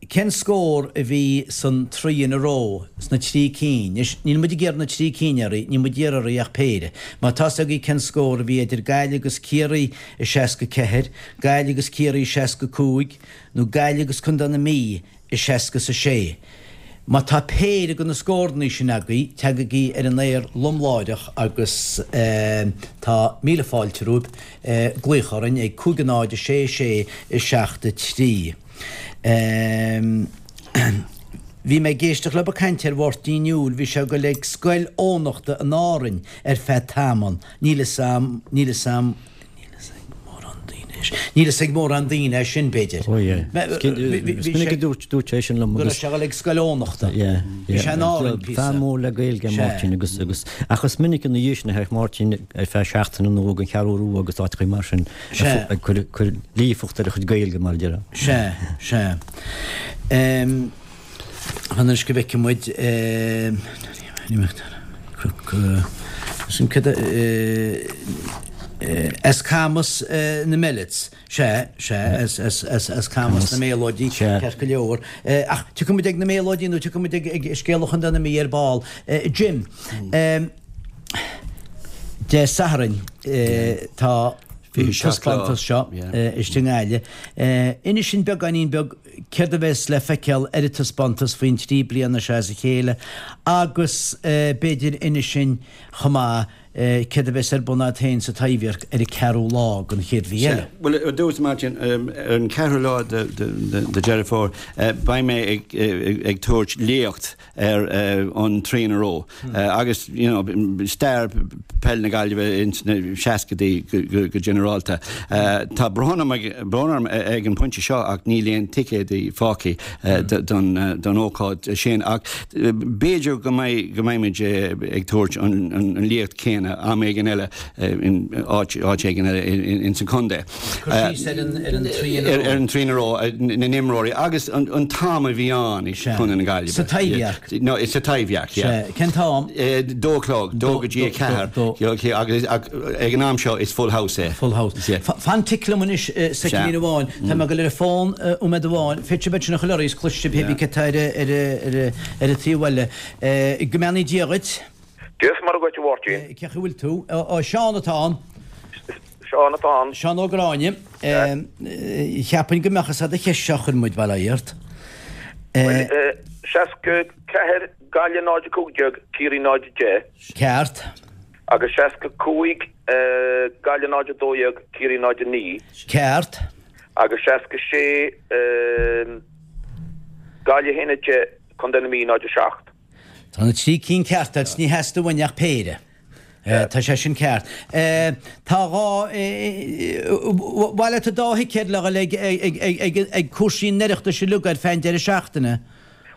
cén scór a bhí san three in a row, sna trí cinn. Anois, níl muid ag iarraidh na trí cinn oraibh, níl muid ag iarraidh oraibh ach péire. Má tá's agaibh cén scór a bhí idir Gaillimh agus Ciarraí i seasca ceathair, Gaillimh agus Ciarraí i seasca cúig, nó Gaillimh agus Contae na Mí i seasca is a sé. Má tá péire de na scórannaí sin agaibh, teagaigí ar an aer liom láithreach agus tá míle fáilte romhaibh glaoch orainn ag cúig a náid a sé a sé a seacht a trí. Bhí mé ag éisteacht libh ag caint ar Mháirtín Newell, bhí sé ag dul ag Scoil Eoghanachta in Árainn ar feadh tamaill, níl fhios a'm, níl fhios a'm, Níl fhios ag mórán daoine é sin. Níl fhios ag mórán daoine é sin, b'fhéidir. Ó yeah. Is minic a dúirt dúirt sé sin liom agus. Go raibh sé ag dul ag Scoil Eoghanachta. Yeah. Bhí sé in Árainn píosa. Fear mór le Gaeilge é Máirtín agus agus ach is minic ina dhiaidh sin a théadh Máirtín ar feadh seachtaine nó ag an Cheathrú Rua agus áiteachaí mar sin ag cur cur líofacht ar a chuid Gaeilge mar a déarfá. Sea, sea. Anois go bhfeicfidh muid as Camas na Millets. Sea, sea, as Camas na Méalóidí, ceart go leor. Ach tiocfaidh muid ag na Méalóidí nó tiocfaidh muid ag scéala Chontae na Mí ar ball. Jim, Dé Sathairn tá an taispeántas seo istigh i nGaillimh. Inis dúinn beagáinín beag céard a bheas le feiceáil ar an taispeántas faoin trí bliana seo as a chéile agus b'fhéidir inis dúinn chomh maith céard a bheas ar bun agat féin sa Taibhdhearc ar an ceathrú lá den chéad mhí eile. Bhuel, ar dtús, Martin, ar an ceathrú lá de Deireadh Fómhair, beidh mé ag tabhairt léacht ar an Three in a Row agus you know stair peil na Gaillimhe ins na seascadaí go ginearálta. Tá brón orm ag an bpointe seo ach níl aon ticéadaí fágtha don ócáid sin ach b'fhéidir go mbeidh go mbeimid ag tabhairt an léacht céanna am éigin eile in áit áit éigin eile ins an chontae. Cur síos ar an ar an Three in a Row. Ar an Three in a Row, na n-imreoirí agus an t-am a bhí ann i Contae na Gaillimhe. Sa Taibhdhearc. No, sa Taibhdhearc, yeah. Sea. Cén t-am? Dó a chlog, dó go dtí a ceathair. Agus ag an am seo is full house é. Full house. Fan tic liom anois soicind amháin. Tá mé ag dul ar an bhfón nóiméad amháin. Féadfaidh sibh ansin a chur oraibh is cloisfidh sibh pé bí cé atá ar an taobh eile. Go mbeannaí Dia dhuit. Dia is Muire dhuit, a Mháirtín. Cén chaoi a bhfuil tú? Ó, Seán atá ann. Seán atá ann. Seán Ó Gráinne. Cheapfainn go mbeadh fhios a'd an cheist seo a chuir muid, bail ó Dhia ort. Bhuel, seasca ceathair, Gaillimh náid a cúig déag, Ciarraí náid a deich. Ceart. Agus seasca cúig, Gaillimh náid a dó dhéag, Ciarraí náid a naoi. Ceart. Agus seasca sé, Gaillimh a haon a deich, Contae na Mí náid a seacht. Tá na trí cinn ceart agat, ní theastaigh uainn ach péire. Tá sé sin ceart. Tá dhá, mhaith leat an dá thicéad le dhul ag cúrsaí an Oireachtais uilig ar feadh an deireadh seachtaine?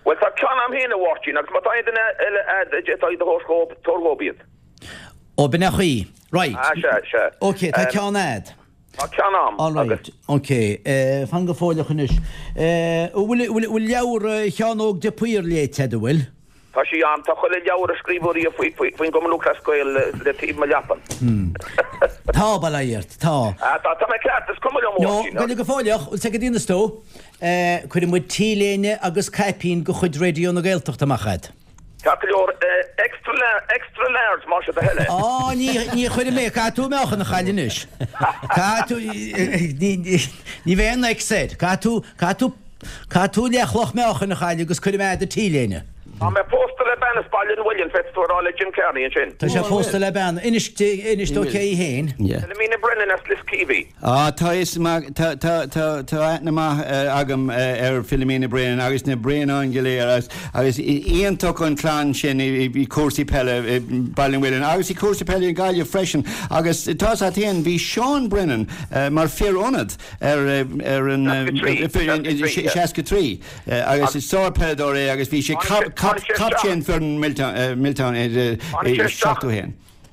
Bhuel, tá ceann a'm féin, a Mháirtín, agus má tá aon duine eile a'd a d'fhéadfá iad a thabhairt dhób, tabhair dhób iad. Ó, b'in é an chaoi. Right. Ah, sea, sea. Ok, tá ceann a'd. Tá ceann a'm, All right, agus. ok. Fan go fóilleach anois. Bhfuil leabhar Sheáin Óg de Paor léite a'd, an bhfuil? Tá sí a'm. Tá chuile leabhar a scríobhadh riamh faoin gCumann Lúthchleas Gael le taobh mo leapan. Tá, bail ó Dhia ort, tá. Ah, tá, tá mé ceart, is cuma liom, No, gabh go fóilleach, bhfuil sé go dtí tú? Cuirfidh muid T-léine agus caipín de chuid Raidió na Gaeltachta amach a'd. Ceart go leor, extra, extra large, más é do thoil é. Á, ní, ní chuirfidh mé, caithfidh tú meáchan a chailleadh anois. Caithfidh tú, ní, ní bheidh aon X air. Caithfidh tú, caithfidh tú, caithfidh tú leathchloch meáchain a chailleadh agus cuirfidh mé a'd an T-léine. Tá mé pósta le bean as Baile an Mhuilinn, féadfaidh tú a rá le Jim Kearney ansin. Tá sé pósta le bean, inis di, inis dó cé í féin. Philomena Brennan as Liskeevy. Á, tá fhios maith, tá, tá, tá, tá aithne maith agam ar Philomena Brennan agus na Braonáin go léir agus, agus iontach an clann sin i, i cúrsaí peile i Baile an Mhuilinn agus i cúrsaí peile i Gaillimh freisin agus tá fhios a't féin, bhí Seán Brennan mar fir ionad ar, ar an, seasca trí agus is sár-peileadóir é agus bhí sé captaen foireann Milltown i seachtó haon.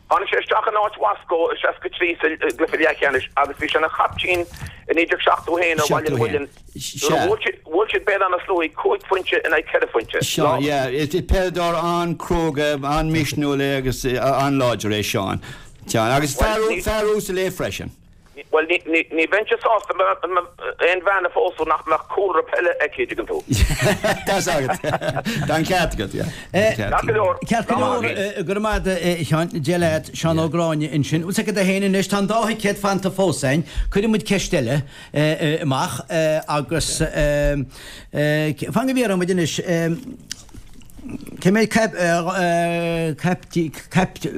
Tháinig sé isteach in áit Wasco i seasca trí sa gcluiche leathcheannais agus bhí sé ina chaiptín i naoi déag seachtó haon ar Bhaile an Mhuilinn nuair a bhuail siad Béal Átha na Sluaighe cúig phointe in aghaidh ceithre phointe. Seán, yeah, is peileadóir an-chróga, an-mhisniúil é agus an-láidir é Seán. Seán, agus fear uasal é freisin. Bhuel, ní bheinnse sásta aon bhean a phósadh nach mbeadh cúlra peile aici, an dtuigeann tú. Tá's agat. Tá an ceart agat, yeah. Ceart go leor. Ceart go leor, go raibh maith agat, a Sheáin. Dia leat, Seán Ó Gráinne ansin. Bhfuil 's agat féin anois, tá an dá thicéad fanta fós againn. Cuirfidh muid ceist eile amach agus fan go bhfiafraíonn muid anois. Cé mhéad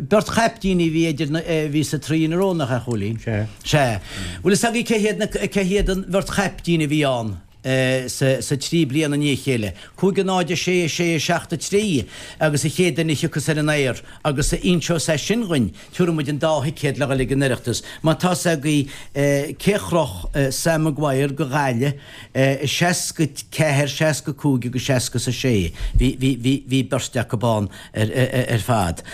beirt chaiptíní a bhí idir na, bhí sa trí in a row, nach ea, a Chóilín? Sea. Sea. Bhfuil fhios agaibh cé hiad na, cé hiad an bheirt chaiptín a bhí ann sa, sa trí bliana i ndiaidh a chéile? Cúig a náid, a sé, a sé, a seacht, a trí agus an chéad duine a thiocfas ar an aer agus a inseos é sin dhuinn, tabharfaidh muid an dá thicéad le dhul ag an Oireachtas. Má tá's agaibh cé chroch Sam Maguire go Gaillimh, i seasca ceathair, seasca cúig agus seasca a sé. Bhí, bhí, bhí, bhí beirt acu ann ar, ar fad.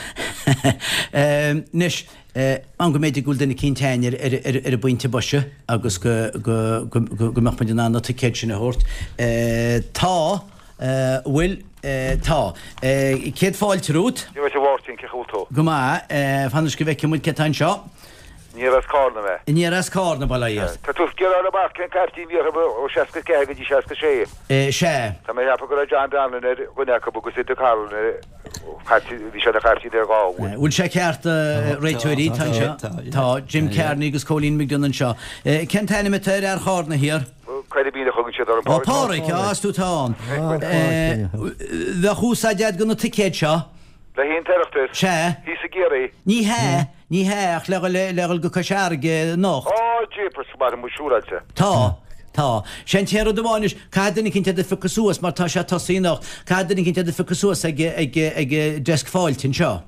Anois, an go mb'fhéidir go bhfuil duine eicínt againn ar, ar, ar, ar an bpointe boise agus go, go, go, go, go mbeadh muid in ann na ticéid sin a thabhairt. Tá, bhfuil, tá. Céad fáilte romhat. Dia duit a Mháirtín, cén chaoi a bhfuil tú? Go maith. Fan anois go bhfeicfidh muid cé atá anseo. Aniar as Carna mé. Aniar as Carna, bail ó Dhia ort. Tá tú ag iarraidh a fháil amach cén caiptín a bhí orthu ó seasca ceathair go dtí seasca sé. Sea. Tá mé ag ceapadh go raibh John Donlan ar dhuine acu agus Enda Carolan ar chaiptín, bhí sé ina chaiptín ar dhá uair. Bhfuil sé ceart, a réiteoirí? Tá anseo. Tá Jim Kearney agus Cóilín McDonagh anseo. Cén t-ainm atá ar fhear Chárna thiar? Coiribín a thugann siad orm. Ó, Páraic, á, is tú atá ann. Bheadh úsáid agat do na ticéid seo. Le haghaidh an tOireachtas? Sea. Thíos i gCiarraí? Ní hea, ní hea, ach le dhul go Cois Fharraige anocht. Á, jeepers, tá muid siúráilte. Tá, tá. Sé an t-aon rud amháin anois, caithfidh duine eicínt iad a phiocadh suas mar tá sé ag tosaí anocht, caithfidh duine eicínt iad a phiocadh suas ag, ag, ag desk fáilte anseo.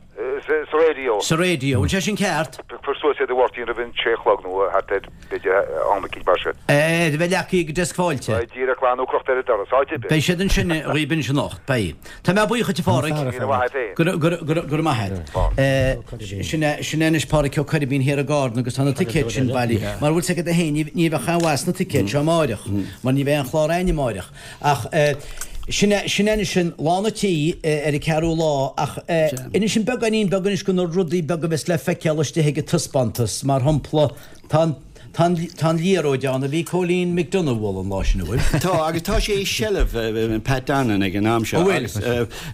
Sa raidió. Sa raidió. Bhfuil sé sin ceart? Piocfar suas iad a Mháirtín roimh an sé a chlog nó thart ar, b'fhéidir, am eicínt mar sin. A bheith leagtha ag desk fáilte. Beidh díreach glan nó crochta ar an doras, áit ar bith. Beidh siad ansin dhaoib anois anocht, beidh. Tá mé buíoch dhuit a Pháraic. Míle maith a't féin. Go raibh, go raibh, go raibh maith a't. Sin é, sin é anois Páraic Ó Coirbín thiar i gCárna agus tá na ticéid sin bailí. Mar bhfuil 's agat féin, ní, ní bheadh aon mhaith sna ticéid seo amáireach, mar ní bheidh aon chlár a'inn amáireach. Ach sin é, sin é anois an lán an tí ar an ceathrú lá ach inis dúinn beagáinín beag anois de na rudaí beaga a bheas le feiceáil istigh ag an taispeántas, mar shampla, tá an, Tá an, tá an liathróid ann a bhí Cóilín McDonagh a bhualadh an lá sin, an bhfuil? Tá, agus tá sé i seilbh Pat Donlan ag an am seo. An bhfuil? Agus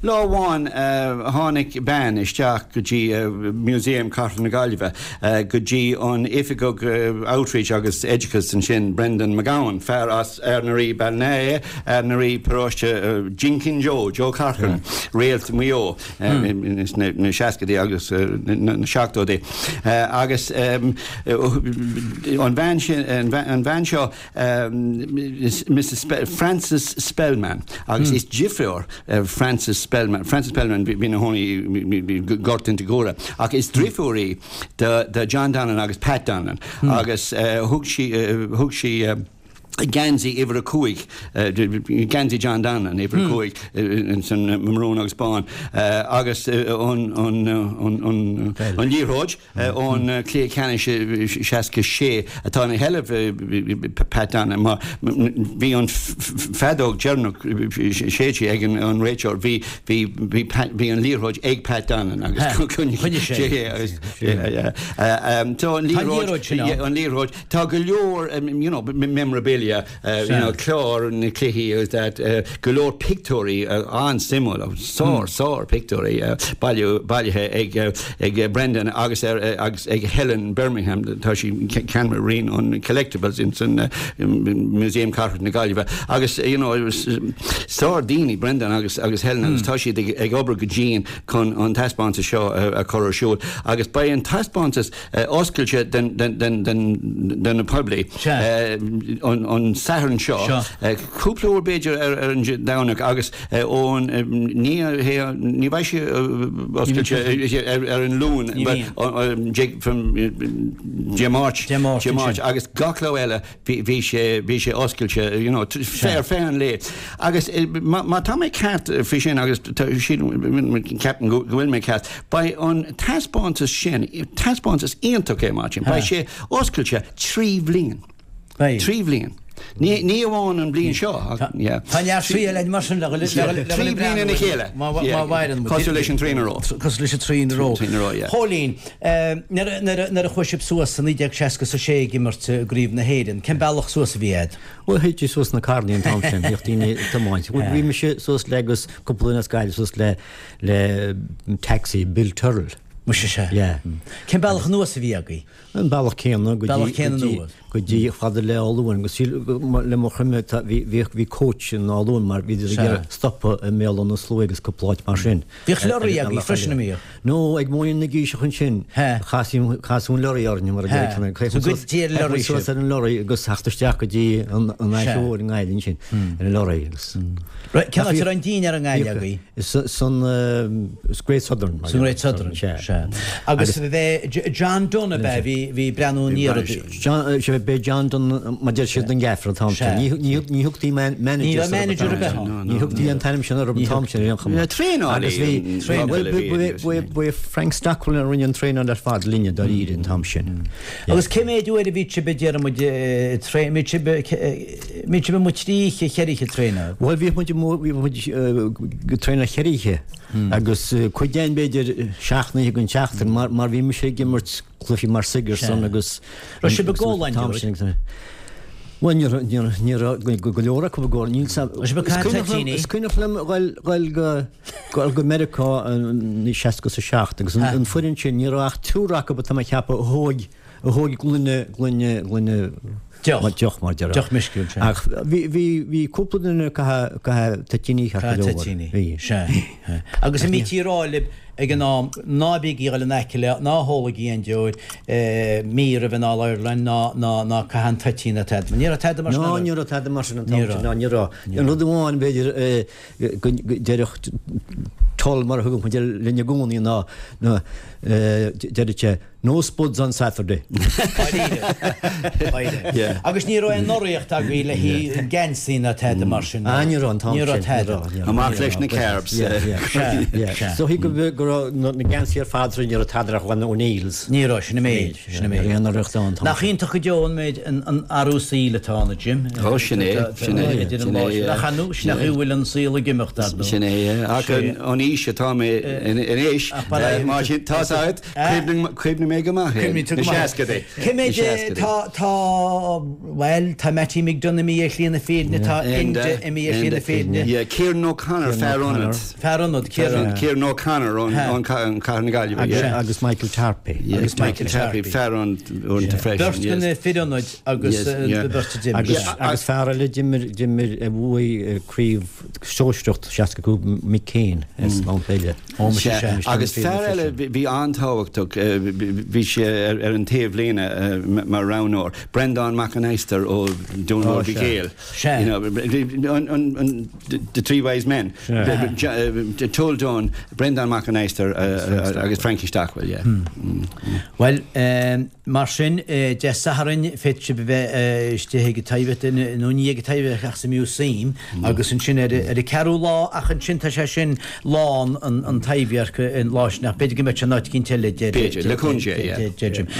lá amháin tháinig bean isteach go dtí Museum Cathrach na Gaillimhe, go dtí an Oifigeach Outreach agus Oideachais ansin, Brendan McGowan, fear as Ard na Rí, Ballina é, Ard na Rí, paróiste Jinkin Joe, Joe Corcoran, réalt Mhaigh Eo sna seascaidí agus na seachtóidí. Agus an bhean sin, an bhean seo, Mrs Frances Spellman, agus is deirfiúr Frances Spellman, Frances Spellman bhí ina chónaí i nGort Inse Guaire, ach is deirfiúr í do John Donlan agus Pat Donlan, agus thug sí, thug sí geansaí uimhir a cúig, geansaí John Donlan, uimhir a cúig, san marún agus bán, agus an liathróid ón cluiche ceannais seasca sé atá ina sheilbh Pat Donlan mar bhí an feadóg deireanach séidte ag an réiteoir, bhí bhí bhí bhí an liathróid ag Pat Donlan agus choinnigh sé é agus tá an liathróid an liathróid Tá go leor you know memorabilia you know clár na cluichí agus that go leor pictiúirí an-suimiúil, sár sár pictiúirí bailiú bailithe ag ag Brendan agus ar agus ag Helen Birmingham tá sí ceannaire roinn an collectibles in san Museum Cathrach na Gaillimhe agus you know sár daoine Brendan agus agus Helen agus tá siad ag ag obair go dian chun an taispeántas seo a chur ar siúl agus beidh an taispeántas oscailte don poiblí an an Satharn seo, cúpla uair b'fhéidir ar ar an Domhnach agus ón ní ní bheidh sé oscailte ar ar an Luan from Dé Máirt Dé Máirt agus gach lá eile bhí sé bhí sé oscailte you know ar feadh an lae agus má tá mé ceart faoi sin agus ceapaim go bhfuil mé ceart beidh an taispeántas sin taispeántas iontach é Martin beidh sé oscailte trí bhliain. Trí bhliain. Ní ní amháin an bliain seo yeah. Tá neart triail ag mar sin le le Trí bliana ina chéile. Má mhaireann muid. Cosúil leis an traein a ró. Cosúil leis an traein a ró. Traein a ró, yeah. Chóilín, nuair nuair a chuaigh sibh suas i naoi déag seasca is a sé ag imirt i gCraobh na hÉireann, cén bealach suas a bhí a'd? Bhuel, théití suas na carrannaí an t-am sin, bhíodh daoine ag tiomáint. Bhí mise suas le agus cúpla duine as Gaillimh suas le le taxi Bill Tyrrell. Muise sea. Yeah. Cén bealach anuas a bhí agaibh? An bealach céanna go dtí Bealach céanna anuas. go dtí fada le Áth Luain agus le mo chuimhne tá bhí bhíodh bhí coach in Áth Luain mar bhíodar ag iarraidh stopadh i mBéal Átha na Sluaighe agus cúpla áit mar sin. Bhíodh lorraí agaibh freisin an mbíodh? No, ag Móinín na gCíseach ansin chasaí chasadh an lorraí orainn mar a deir He. So goidtí ar an lorraí suas ar an lorraí agus theacht isteach go dtí an an Fhaiche Mhór i nGaillimh ansin ar an lorraí agus. Right, cén áit a raibh an dinnéar i nGaillimh agaibh? San Great Southern. San Great Southern, sea. Agus bhí John Dunne ab ea, bhí bhí breathnú aniar. John, sea, b'é John Dunne mar deir siad an gaffer an t-am sin. Ní ní thugtaí manager. Ní raibh manager ar bith ann. Ní thugtaí an t-ainm sin orthu an t-am sin ar aon chuma. Traenálaí. Agus bhí, bhuel, b'é Frank Stockwell a rinne an traenáil ar fad linne dáiríre an t-am sin. Agus cé mhéad uair a bhí sibh, déarfaidh muid, traenáil, bhí sibh, bhí sibh amuigh trí oíche, cheithre oíche traenáil? Bhuel, bhíodh muid amuigh, bhíodh muid ag traenáil cheithre oíche agus cuid againn b'fhéidir seacht n-oíche den tseachtain mar mar bhí mise ag imirt cluichí mar Sigerson agus Raibh sibh i gcomhlainn dóibh? Bhuel, ní raibh, ní raibh, ní raibh go leor acu i gcomhlainn. Níl 's Raibh sibh ag Is caint cuimhneach liom, toitíní? is cuimhneach liom dhul, dhul go, dhul go Meiriceá i seasca is a seacht agus an, an foireann sin, ní raibh ach triúr acu atá mé ag ceapadh a thóig, a thóig gloine, gloine, gloine, Deoch. Deoch mar déarfá. Deoch meisciúil, sea. Ach bhí, bhí, bhí cúpla duine ag caitheamh, caitheamh toitíní ceart go Caitheamh leor. toitíní. Bhí. Sea. Agus an mbítí ag rá libh ag an am, ná bígí ag dul in aice le, ná hólaigí aon deoir, mí roimh an All Ireland, ná, ná, ná caith an toitín ná tada. Ní raibh tada mar sin Ná, ann. ní raibh tada mar sin an t-am Ní sin, raibh. ná ní raibh. An rud amháin b'fhéidir go ndéarfadh Tull mar a thugadh muid air linn i gcónaí ná, ná, deireadh sé, No spuds on Saturday. Dáiríre. Dáiríre. Yeah. Agus ní raibh aon urraíocht agaibh le haghaidh geansaí ná tada mar sin. Ah, ní raibh an t-am Ní raibh sin. tada. Ní raibh, ní raibh. Amach leis na carbs. Yeah, yeah. Sea, Yeah. sea. So go go raibh na na geansaí ar fad ní raibh tada ach bhain O'Neill's. Ní raibh, sin an méid, sin an méid. Aon urraíocht ann an t-am Nach sin. iontach go deo an méid an an athrú saoil atá ann, a Jim. Ó, sin é, sin é, Idir an sin lá é, sin. yeah. Nach anu, sin nach bhfuil an saol ag imeacht ar ndóigh. Sin é, yeah. Ach Sé. an an aois atá mé in anois, Ach ba é- mar sin, tá's agat, cuimhním cuimhním mé go maith é. Cuimhníonn tú go Na maith. seascadaí. Cé Na méid seascadaí. tá tá bhuel tá Mattie McDonagh imithe ar shlí na fírinne, tá Enda, Enda imithe ar shlí na Enda. fírinne. Yeah, Kieran O'Connor, fear ionad. Fear ionad, Kieran. Kieran O'Connor ón ón ón Cathair na Gaillimhe. Agus, yeah. agus Michael Tarpey. Yeah, Agus Michael Michael Tarpey, Tarpey. fear ionad freisin. Beirt yes. de na fir ionaid agus Yes, eh, yeah. beirt a d'imir. Agus, Yeah, agus fear eile d'imir d'imir a bhuaigh craobh sóisearach seasca cúig Mick Kane as Mount Béile. Ó, muise, Sea, sea. Agus fear eile bhí bhí an-tábhachtach, eh, bhí sé ar ar an taobhlíne eh, mar roghnóir, Breandán Mac an Adhastair ó Dún Ó, Mhór sea. Mhic Éil. Sea. You know, an, an, an, the, the Three Wise Men. Sea. Toll Dunne, Breandán Mac an Adhastair uh, uh, agus Frankie Stockwell, yeah. Mm. Well, um, mar sin eh, Dé Sathairn féadfaidh sibh a bheith eh, istigh ag an Taibhdhearc nó ní ag an Taibhdhearc ach sa museum agus ansin ar ar an ceathrú lá ach ansin tá sé sin lán an, an Taibhdhearc an lá sin ach b'fhéidir go mbeidh sé in áit eicínt eile de B'fhéidir, le Conte, yeah.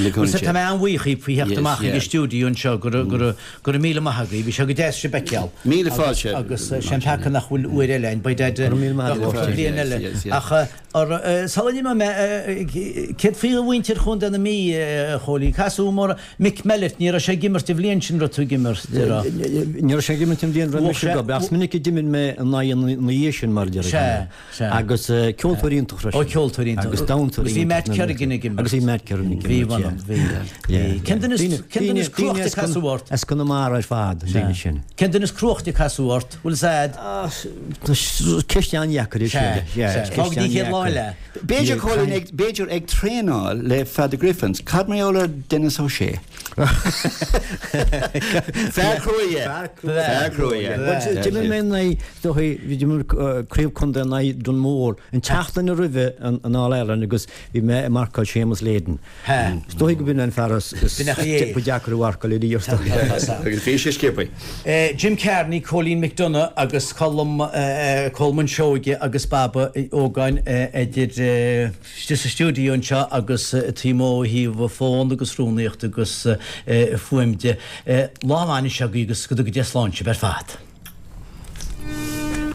Le Conte. Tá mé an-bhuíoch faoi theacht Yes, amach ag yeah. an stiúideo anseo go raibh- go raibh- go raibh míle maith agaibh, bhí sé go deas sibh a fheiceáil. Míle Agus- fáilte. Agus eh, sé an peaca nach bhfuil uair eile ann, beidh dead Go raibh míle maith agat. bliain Yes, eile. yes, yes. Ach eh, ar, eh, sula n-imeoidh mé, eh, céard faoi mhuintir Chontae na Mí, eh, a Chóilín, casadh mór Mick Mellett, ní raibh sé ag imirt an bhliain sin raibh tú ag imirt, de raibh. Ní raibh sé ag imirt an bhliain roimhe Bhuaigh sé- sin go, ach is minic a d'imir mé in aghaidh na dhiaidh sin mar a Sea, déarfá. sea. Agus eh, ceoltóir iontach freisin. Ó, ceoltóir iontach. Agus damhsóir Agus bhí Matt iontach. Kerrigan ag imirt. Agus bhí Matt Kerrigan ag Bhí, imirt, bhí, yeah. bhí. Yeah. Cén duine is- Daoine- cén duine is daoine- daoine cruachta as Con- casadh ort? As Conamara ar fad, an daoine sin. Cén duine is cruachta casadh ort? Bhfuil 's a'd? Ceist an-dheacair é Sea, sin. sea. Ceist Fág dtí chéad lá fáil é. B'fhéidir Cóilín ag b'fhéidir ag traenáil le fear the Griffins. Cad mar gheall ar Denis O'Shea? Fear cruaidh é. Fear cruaidh é. D'imir mé in aghaidh, is dóichí, d'imir craobh contae in aghaidh Dún Mór an tseachtain roimhe an All Ireland agus bhí mé ag marcáil Séamus Leyden. Is dóichí go b'in an fear is ba deacair a mharcáil ariamh is dóichí. Agus bhí sé sciobtha. Jim Kearney, Cóilín McDonagh agus Colm Colman Seoige agus Baba Ógáin idir istigh sa stiúideo anseo agus taobh amuigh ó thaobh fón agus rúnaíocht agus fuaim de. Lá maith anois agaibh agus go dtuga Dia slán sibh ar fad.